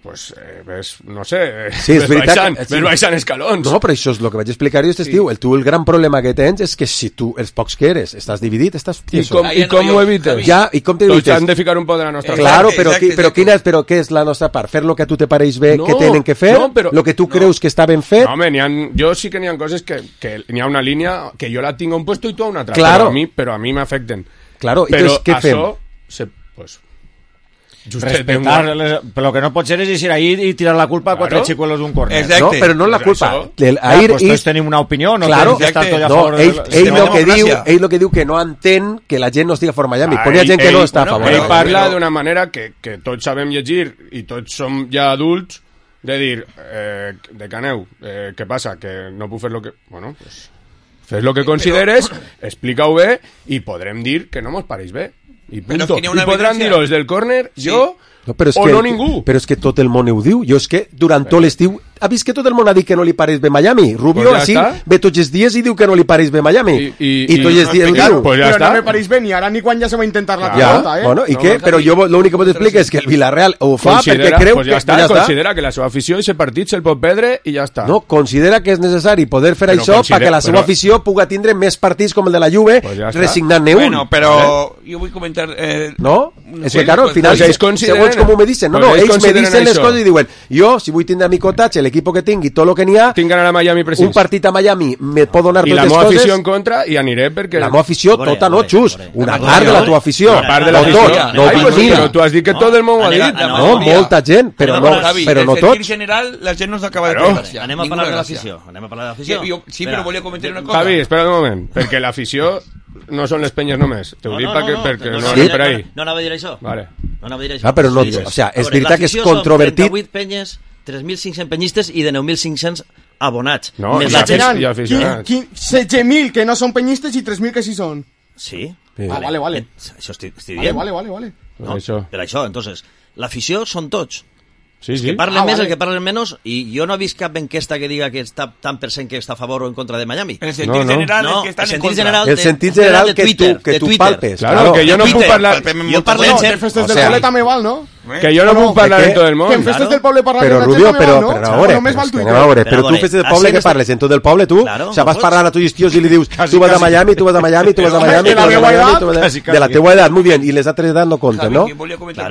pues eh, ves, no sé, sí, ves, baixant, que, sí. ves baixant escalons. No, però això és el que vaig explicar jo, este estiu. Sí. El, tu, el gran problema que tens és que si tu, els pocs que eres, estàs dividit, estàs... I com, i com ho evites? Ja, i com te evites? Tots han de ficar un poc de la nostra part. Claro, però, exacte, però, quina és, però què és la nostra part? Fer lo que a tu te pareix bé, no, que tenen que fer? No, però, lo que tu no. creus que està ben fet? No, home, ha, jo sí que n'hi ha coses que, que n'hi ha una línia que jo la tinc a un puesto i tu a una altra, claro. però a mi, però a mi m'afecten. Claro, però entonces, què fem? Se, pues, respetar, les, però lo que no pot ser és ir ahí i tirar la culpa a claro. Quatre xicuelos d'un corner. Exacte. No, però no la culpa. El, ah, ir, pues tots tenim una opinió, no claro, tens d'estar tot a no, favor. Ell, del, ell, lo que diu, ell lo que diu que no entén que la gent no estigui a favor Miami. Ah, Ponia gent ell, que no està bueno, a favor. Ell parla d'una manera que, que tots sabem llegir i tots som ja adults de dir, eh, de caneu, eh, què passa? Que no puc fer lo que... Bueno, pues... Fes lo que consideres, explica-ho bé i podrem dir que no mos pareix bé. I punto. I podran dir-ho des del córner, sí. jo no, però és o que, no ningú. Però és que tot el món ho diu. Jo és que durant tot l'estiu ha vist que tot el món ha dit que no li pareix bé Miami. Rubio, pues ja així, està. Ve tots els dies i diu que no li pareix bé Miami. I, i, i tots els dies ho diu. Pues ja però està. No me pareix bé ni ara ni quan ja se va intentar la pilota, ja, eh? Bueno, i no, què? No, però jo l'únic que pot explicar és que el Villarreal ho fa considera, perquè creu pues ja que... Està, ja considera que la seva afició i aquest partit se'l pot perdre i ja està. No, considera que és necessari poder fer però això perquè la seva però... afició puga tindre més partits com el de la Juve pues ja resignant-ne un. Bueno, però jo vull comentar... Eh, no? És que, claro, al final, segons com me dicen, no, no, ells me dicen les coses i diuen, jo, si vull tindre a mi cotatge, l'equip que tingui, tot el que n'hi ha, tinc ganar a Miami precís. Un partit a Miami me pot donar totes les coses. I la meva afició en contra i aniré perquè... La meva afició tota no, xus. Una part de la tua afició. Una part de l'afició. No, però tu has dit que tot el món ho ha dit. No, molta gent, però no tots. En general, la gent no s'acaba de conversar. Anem a parlar de l'afició. Anem a parlar de l'afició. Sí, però volia comentar una cosa. Javi, espera un moment, perquè l'afició no són les penyes només. T'ho dic perquè no anem per ahí. No anava a dir això. Vale. No anava a dir això. Ah, però no... O sea, és veritat que és controvertit. trenta-vuit penyes, tres mil cinc-cents penyistes i de nou mil cinc-cents abonats. No, més la gent, i aficionats. setze mil que no són penyistes i tres mil que sí són. Sí. sí. Ah, vale, vale. Això estic, estic dient. Vale, vale, vale. No, això. Per això, entonces, l'afició són tots. Sí, sí. El que parlen ah, més, vale. El que parlen menys, i jo no he vist cap enquesta que diga que està tant per cent que està a favor o en contra de Miami. El sentit no, no. general no, és que estan el en contra. General el sentit general de, que, Twitter, tu, que tu palpes. Claro, claro, que jo no puc parlar... Jo parlo en ser... Festes del poble també val, no? Que jo no puc parlar en tot el món. Que en festes del poble parlar però, de la Rubio, gent però, també val, no? Però, però, només val Twitter. Però, però tu festes del poble que parles en tot el poble, tu? O sea, vas parlant a tots tios i li dius tu vas a Miami, tu vas a Miami, tu vas a Miami, tu vas a Miami, de la teua edat, muy bien, i les altres edats no compten, no?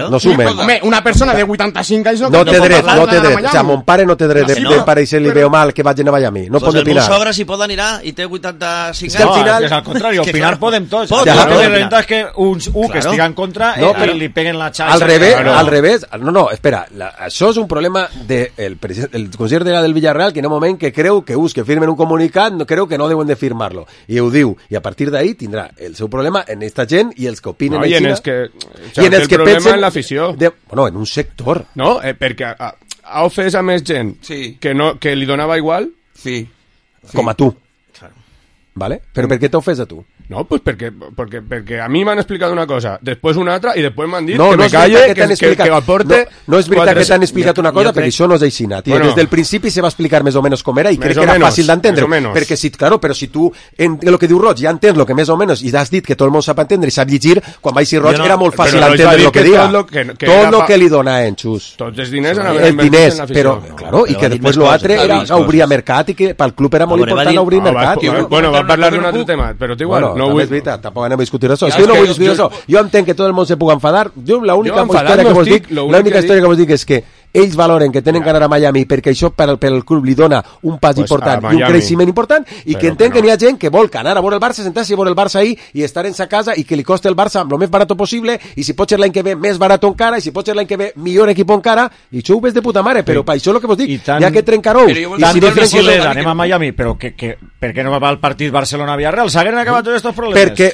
No sumen. Home, una persona de vuitanta-cinc anys no té dret, no té dret. O sea, mon pare no té dret de pareixer-li veu mal que vagin a Miami. No pot opinar. El meu sogre, si pot anirà i té vuitanta-cinc anys. No, és al contrari, opinar podem tots. La cosa és que uns un que estigui en contra li peguen la xarxa. Al revés, al revés. No, no, espera, això és un problema del Consell General del Villarreal que en un moment que creu que us que firmen un comunicat no creu que no deuen de firmar-lo. I ho diu. I a partir d'ahí tindrà el seu problema en esta gent i els que opinen no, i en els que, i en els que pensen en l'afició. Bueno, en un sector. No, eh, perquè ha, ha ofès a més gent sí. que, no, que li donava igual. Sí. sí. Com a tu. Claro. ¿Vale? Però per què t'ha ofès a tu? No, pues perquè, perquè, perquè a mi m'han explicat una cosa, després una altra, i després m'han dit no, que no me calle, que, que, que, que aporte... No, no és veritat quatre... que t'han explicat una cosa, perquè això no és així, Nati. Bueno, des del principi se va explicar més o menys com era, i crec que era menos, fàcil d'entendre. Perquè, si, claro, però si tu, en el que diu Roig, ja entens el que més o menys, i has dit que tot el món sap entendre i sap llegir, quan va ser Roig no, era molt fàcil entendre el que dia. Tot el que li dona en Xus. Tots els diners han els diners, però, claro, i que després l'altre era obrir mercat, i que pel club era molt important obrir mercat. Bueno, va parlar d'un altre tema, però igual, no vull... anem a discutir això. És que jo no vull discutir això. Jo entenc que tot el món se pugui enfadar. Jo l'única història que vos dic, l'única història que vos dic és que ells valoren que tenen que anar a Miami perquè això per al, per al club li dona un pas pues important i un creixement important i però que entenc que, no. que n'hi ha gent que vol que anar a veure el Barça, sentar-se a veure el Barça ahí i estar en sa casa i que li costi el Barça el més barat possible i si pot ser l'any que ve més barat encara i si pot ser l'any que ve millor equip encara i això ho ves de puta mare, però sí. Per això el que vos dic, tan, ja que trencar-ho i si difícil és anem a Miami però que, que, per què no va al partit Barcelona-Villarreal? S'hagueren acabat tots aquests problemes? Perquè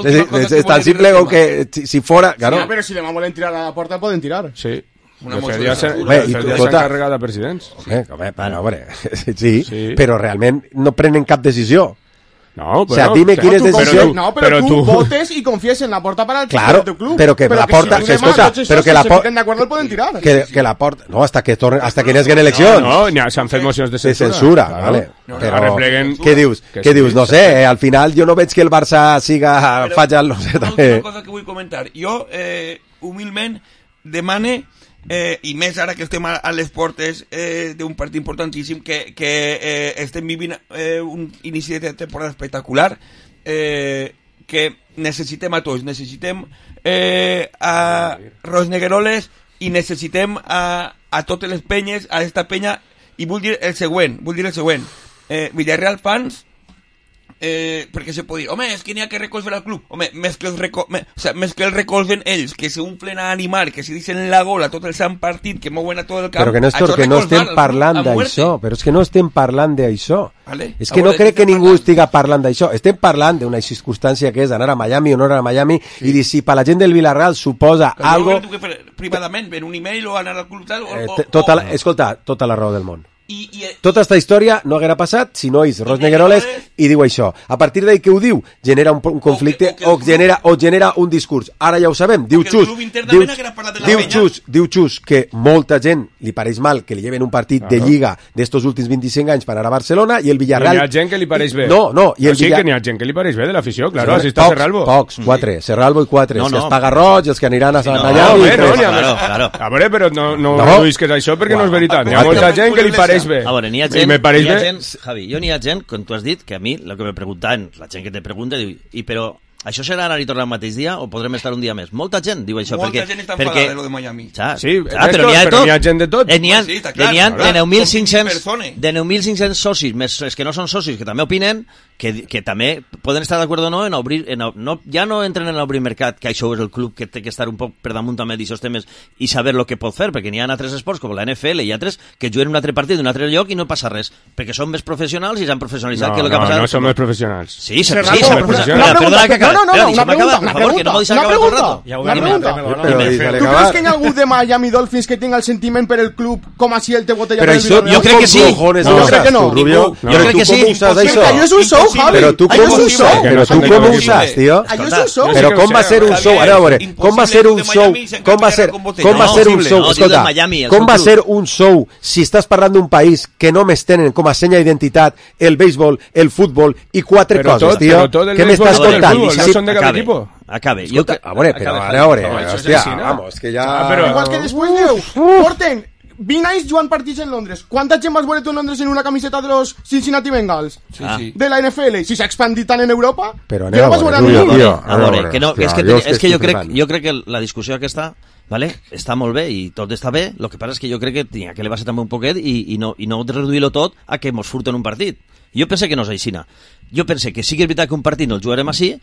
Es, es, es tan simple como que si, si fuera, claro. Sí, pero si demà volen tirar a la porta, poden tirar. Sí. Una de moció fet, ja de s'ha censura. Bé, i ja tu- s'ha tota- encarregat a presidents. Home, home, però, home, sí, Sí. però realment no prenen cap decisió. No, O sea, però- dime però quién es tu- decisión. però tu- No, pero, pero tú, tú- votes y confíes en la porta para el Claro, de tu club. pero que la porta- si que los demás, escolta, los esos pero que que la se por- fiquen de acuerdo el pueden tirar. Que, que la porta... No, hasta que, tornen, hasta que n'haguen eleccions. No, no, s'han fet mocions de de censura. censura, Claro. vale. No, Però, arrepleguen- què dius? Que Què sí, dius? No sí. sé, eh, al final jo no veig que el Barça siga Però falla, no sé, una també. última cosa que vull comentar. Jo, eh, humilment, demane, eh, i més ara que estem a, a les portes eh, d'un partit importantíssim, que, que eh, estem vivint eh, un inici de temporada espectacular, eh, que necessitem a tots. Necessitem eh, a Rosnegueroles i necessitem a, a totes les penyes, a esta penya, i vull dir el següent, vull dir el següent. Eh, Villarreal fans, eh, perquè se pot dir, home, és que n'hi ha que recolzar al club. Home, més que, els reco me, o sea, més que el recolzen ells, que se unflen a animar, que se dicen la gola tot el sant partit, que mouen a tot el camp. Però que, Néstor, això que no recolzar estem al parlant club a muerte. d'això, però és que no estem parlant d'això. Vale. És que A no veure, crec què que estem ningú estigui parlant d'això. Estem parlant d'una circumstància que és anar a Miami o no anar a Miami i dir si per la gent del Villarreal suposa Però algo... jo crec que fer privadament, ver un email o anar al club tal, o, Eh, o, te- tota la, o, escolta, tota la raó del món. i, i, Tota esta història no haguera passat si no és Rosnegueroles i diu això. A partir d'ahí que ho diu, genera un, un conflicte o, que, o, que o, genera, o genera un discurs. Ara ja ho sabem, diu Xus, diu, diu Xus, diu Xus que molta gent li pareix mal que li lleven un partit Claro. de Lliga d'estos últims vint-i-cinc anys per anar a Barcelona i el Villarreal... N'hi ha gent que li pareix bé. No, no, i el sí Villar- que n'hi ha gent que li pareix bé de l'afició, claro, Sí, així està pocs, Serralbo. Pocs, quatre, Serralbo i quatre. No, Si no. els paga roig, els que aniran a Sant No, allà... no, i bé, no, tres. n'hi ha més. A veure, però no, no, No. no. que és això perquè no és veritat. Hi ha Quatre. molta gent que li pareix bé. A veure, n'hi ha I gent, me pareix n'hi ha bé. gent, Javi, jo n'hi ha gent, com tu has dit, que a mi, el que me preguntaven, la gent que te pregunta, diu, i però això serà anar i tornar el mateix dia o podrem estar un dia més? Molta gent diu això. molta perquè, gent està perquè, enfadada de lo de Miami. Ja, Sí, ah, Néstor, però n'hi ha de però tot. n'hi ha gent de tot. Eh, n'hi ha, Sí, està de, n'hi ha clar, de nou mil cinc-cents persones. de nou mil cinc-cents socis, més els que no són socis, que també opinen, que, que també poden estar d'acord o no en obrir, en, no, ja no entren en obrir mercat, que això és el club que té que estar un poc per damunt també d'aixòs temes i saber el que pot fer, perquè n'hi ha altres esports com la N F L i altres que juguen un altre partit d'un altre lloc i no passa res, perquè són més professionals i s'han professionalitzat No, que el que ha no, passat. no som més professionals. Sí, sí, Serrano, sí, s'han una professionalitzat. pregunta, Perdona que acabe. no, no, no, Espera, una deixa'm acabar, pregunta, per favor, que no m'ho deixes una acabar tot el pregunta, rato. una pregunta. Però ¿Tú deixa-li crees acabar. que hay algún de Miami Dolphins que tenga el sentiment per el club com així el té botella Però del això, Villarreal? jo crec que sí. Cojones, No, no, crec que no. tu, Rubio. Ningú. Però Jo crec tu que sí. com ho saps, Impossible. això? Allò és un show, Impossible. Javi. Però tu Allò com és ho un show. saps? Però tu no com ho sabem saps, tio? Allò és un show. Jo sí Però que ho com va sé, ser un Javier, show? Ara, a veure, impossible com va ser un de show? Miami sense Com va canviar ser, con botella. com va No, ser un impossible. show? No, diu Escolta, de Miami, el com seu va club. ser un show si estàs parlant d'un país que només tenen com a senya d'identitat el béisbol, el futbol i quatre Però coses, tot, tio? però tot el Què béisbol m'estàs és del contant? fútbol, no Sí, són de cada acabe, equipo. acabe. Jo, Escolta, a veure, però acabe, ara, a veure, No, això és hòstia, així, no? vamos, que ja... Ah, però- Igual que després diu, porten vint anys jugant partits en Londres. Quanta gent vas veure tu en Londres en una camiseta de los Cincinnati Bengals? Sí, Ah. sí. De la N F L. Si s'ha expandit tant en Europa, Però jo anem no a vas veure, veure Rubio, ningú. tio. A veure, que no, Hòstia, és que, jo és que, estic jo, crec, flipant. jo crec que la discussió aquesta vale, està molt bé i tot està bé, el que passa és que jo crec que tenia que elevar-se també un poquet i, i no, i no reduir-lo tot a que mos furten un partit. Jo pense que no és aixina. Jo pense que sí que és veritat que un partit no el jugarem així,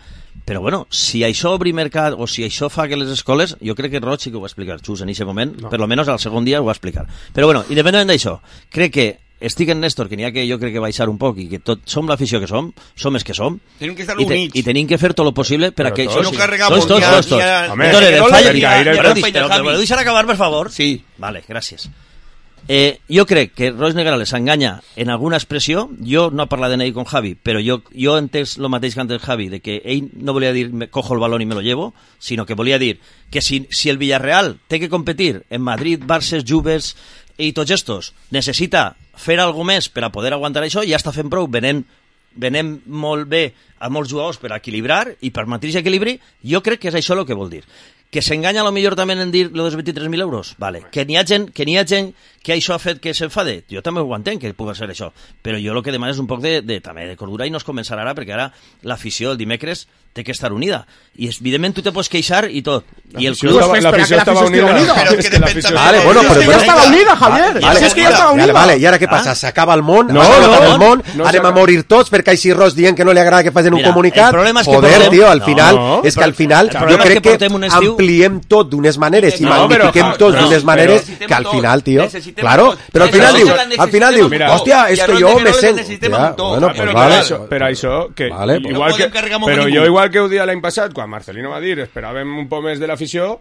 però bueno, si això obri mercat o si això fa que les escoles, jo crec que Roig sí que ho va explicar, Xus, en aquest moment, no. Per lo menos al segon dia ho va explicar. Però bueno, independentment d'això, crec que estic en Néstor, que n'hi ha que jo crec que baixar un poc i que tot, som l'afició que som, som els que som, Tenim que estar i, te, units. i tenim que fer tot el possible per a Però que tots. això No sí. carregamos tots, tots, ni a- tots, ni tots. a- Home, Entonces, ni a- el fallo- ni a- ni a- però, ni a- però, però, però deixar acabar, per favor? Sí. Vale, gràcies. Eh, jo crec que Roig Negrales s'enganya en alguna expressió. Jo no he parlat d'ell con Javi, però jo, jo he entès el mateix que antes Javi, de que ell no volia dir me cojo el balón y me lo llevo, sinó que volia dir que si, si el Villarreal té que competir en Madrid, Barça, Juves i tots estos, necessita fer alguna més per a poder aguantar això, ja està fent prou, venent, venent molt bé a molts jugadors per a equilibrar i per mateix equilibri, jo crec que és això el que vol dir. Que s'enganya a lo millor també en dir lo dels vint-i-tres mil euros, vale. Que n'hi ha gent que n'hi ha gent que això ha fet que s'enfade, jo també ho entenc que pugui ser això, però jo el que demano és un poc de, de, també de cordura i no es començarà ara, perquè ara l'afició el dimecres té que estar unida, i evidentment tu te pots queixar i tot, i el L'afició club... estava- l'afició estava unida. Però És que que depèn l'afició- també Vale, de- bueno, Si però... és que ja estava unida, Javier. Vale, Si és que ja estava vale, unida. vale, i ara què passa? S'acaba el món? No, S'acaba no, el món? no Anem a s'acaba. morir tots perquè així Ros dient que no li agrada que facin un Mira, comunicat? el problema és que Joder, portem- tio, al No, final, és que però- al final el jo problema és crec que que portem un estiu- ampliem tot d'unes maneres i No, però, magnifiquem Javi, tot no, d'unes però- maneres necessitem que al tot, final, tio, necessitem claro, tot. però al final Això diu, la al final diu, necessitem hòstia, tot. és I a que Ros jo me Negrales sent... necessitem Ja, un tot. bueno, Ah, pues però Per vale. això, per això que Vale, pues- igual No podem que carregar amb però ningú. jo igual que ho dia l'any passat quan Marcelino va dir esperàvem un poc més de l'afició,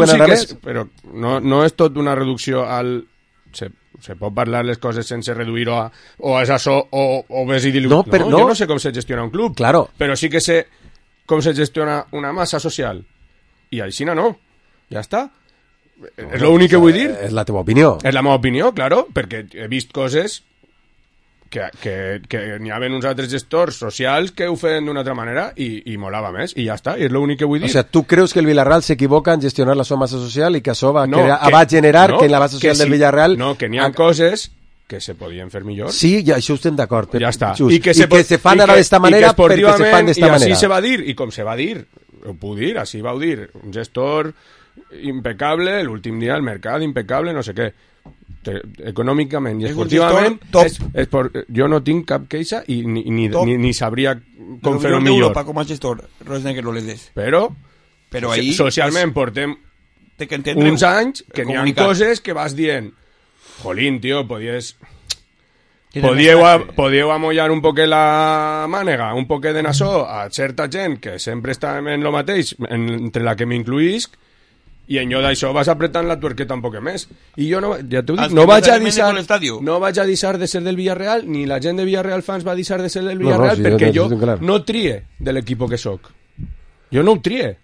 veuen sí ara que més. és, però no, no és tot una reducció al... Se, se pot parlar les coses sense reduir-ho a o és això o, o ves i dilu... No, però no, no. Jo no sé com se gestiona un club, Claro. però sí que sé com se gestiona una massa social. I així no, ja està. No, és l'únic que vull dir. És la teva opinió. És la meva opinió, claro, perquè he vist coses que, que, que n'hi havia uns altres gestors socials que ho feien d'una altra manera i, i molava més, i ja està, i és l'únic que vull dir. O sea, tu creus que el Villarreal s'equivoca en gestionar la seva massa social i que això va, no, crear, que, va generar no, que en la base social sí, del Villarreal... No, que n'hi ha a... coses que se podien fer millor. Sí, ja, això estem d'acord. Ja està. Just. I que se, I que se fan ara d'esta manera perquè se fan d'esta manera. I així se va dir, i com se va dir, ho puc dir, així va dir, un gestor impecable, l'últim dia al mercat, impecable, no sé què. Econòmicament i esportivament, és, és por, jo no tinc cap queixa i ni, ni, ni, ni sabria com fer-ho millor. Europa, com a gestor, res negre no les des. Però, Però ahí, socialment portem uns anys que n'hi ha coses que vas dient jolín, tio, podies... Podíeu, a, podíeu amollar un poquet la mànega, un poquet de nassó a certa gent que sempre està en lo mateix, en, entre la que m'incluïsc, i en jo d'això vas apretant la tuerqueta un poquet més. I jo no, ja t'ho dic, no vaig a deixar, no vaig a deixar de ser del Villarreal, ni la gent de Villarreal fans va deixar de ser del Villarreal, no, no, sí, perquè jo, jo no trie de l'equip que soc. Jo no ho trie.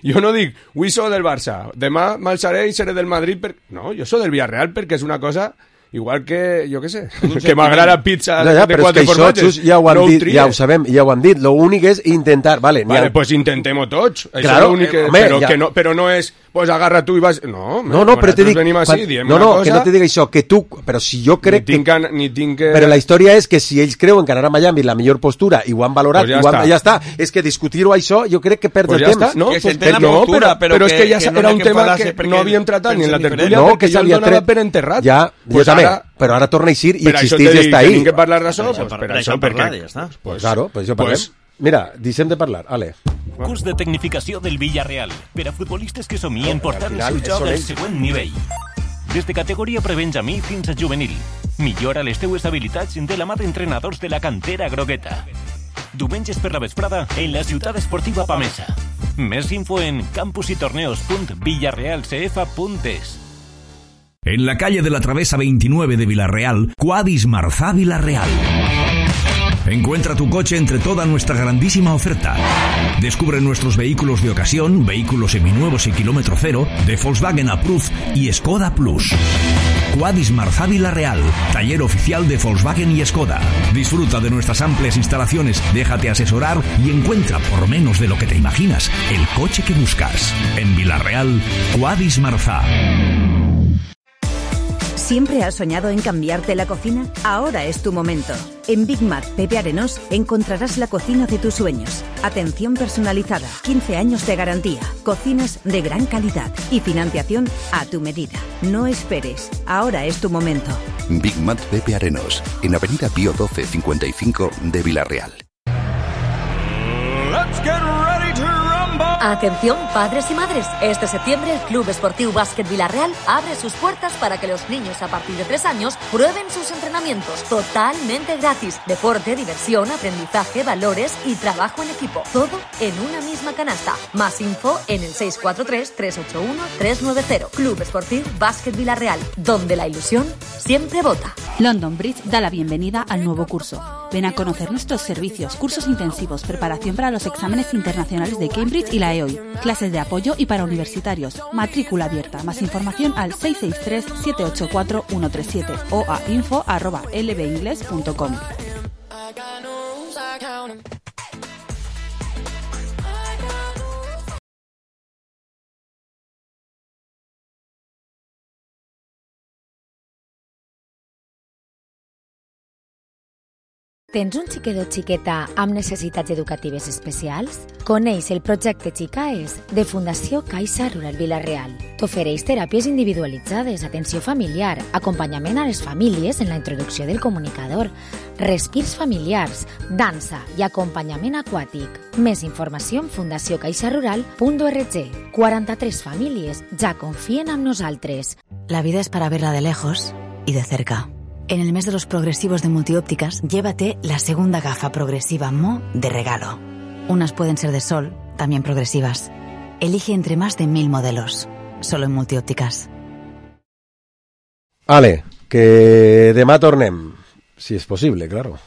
Jo no dic, avui soc del Barça, demà marxaré i seré del Madrid. Per... No, jo soc del Villarreal perquè és una cosa... Igual que, jo què sé, que m'agrada pizza no, ja, de quatre formatges. Ja ho han no dit, ho ja ho sabem, ja ho han dit. Lo únic és intentar... Vale, vale ha... pues intentemos tots. Claro, això que... home, però, ja... que no, però no és, pues agarra tu i vas... No, no, no però te dic... Venim així, quan... No, no, que no te dic això, que tu... Però si jo crec ni tinc, que... Ni tinc que... Però la història és que si ells creuen que anar a Miami és la millor postura i ho han valorat, pues ja, i ho han... està. ja està. És que discutir-ho això jo crec que perd pues el ja temps. Està. No, que pues, per, no, postura, però, però que, és que ja que era no un tema que no havíem tratat ni en la tertúlia no, perquè jo el donava per enterrat. Ja, jo també, però ara torna a eixir i existeix i està ahí. Tenim que parlar d'això, per això, perquè... Pues claro, pues això parlem. Mira, deixem de parlar, ale. Curs de tecnificació del Villarreal per a futbolistes que somien portar el seu joc al següent nivell. Des de categoria prebenjamí fins a juvenil. Millora les teues habilitats de la mà d'entrenadors de la cantera grogueta. Diumenges per la vesprada en la ciutat esportiva Pamesa. Més info en campusytorneos punt villarreal c f punt es. En la calle de la Travesa veintinueve de Villarreal, Quadis Marzá Villarreal. Encuentra tu coche entre toda nuestra grandísima oferta. Descubre nuestros vehículos de ocasión, vehículos seminuevos y kilómetro cero, de Volkswagen Approved y Skoda Plus. Quadis Marzá Villarreal, taller oficial de Volkswagen y Skoda. Disfruta de nuestras amplias instalaciones, déjate asesorar y encuentra, por menos de lo que te imaginas, el coche que buscas. En Villarreal, Quadis Marzá. ¿Siempre has soñado en cambiarte la cocina? Ahora es tu momento. En Big Mac Pepe Arenós encontrarás la cocina de tus sueños. Atención personalizada, quince años de garantía, cocinas de gran calidad y financiación a tu medida. No esperes, ahora es tu momento. Big Mac Pepe Arenós, en Avenida Pío doce cincuenta y cinco de Villarreal. Let's get ready to rumble. Atención, padres y madres. Este septiembre el Club Esportiu Básquet Villarreal abre sus puertas para que los niños a partir de tres años prueben sus entrenamientos totalmente gratis. Deporte, diversión, aprendizaje, valores y trabajo en equipo. Todo en una misma canasta. Más info en el seis cuatro tres, tres ocho uno, tres nueve cero. Club Esportiu Básquet Villarreal, donde la ilusión siempre vota. London Bridge da la bienvenida al nuevo curso. Ven a conocer nuestros servicios, cursos intensivos, preparación para los exámenes internacionales de Cambridge y la E O I, clases de apoyo y para universitarios, matrícula abierta. Más información al seis seis tres, siete ocho cuatro, uno tres siete o a info arroba l b ingles punto com. Tens un xiquet o xiqueta amb necessitats educatives especials? Coneix el projecte Xicaes de Fundació Caixa Rural Villarreal. T'ofereix teràpies individualitzades, atenció familiar, acompanyament a les famílies en la introducció del comunicador, respirs familiars, dansa i acompanyament aquàtic. Més informació en fundació caixa rural punt org. quaranta-tres famílies ja confien en nosaltres. La vida es para verla de lejos y de cerca. En el mes de los progresivos de Multiópticas, llévate la segunda gafa progresiva Mo de regalo. Unas pueden ser de sol, también progresivas. Elige entre más de mil modelos. Solo en Multiópticas. Ale, que demà tornem. Si és possible, claro.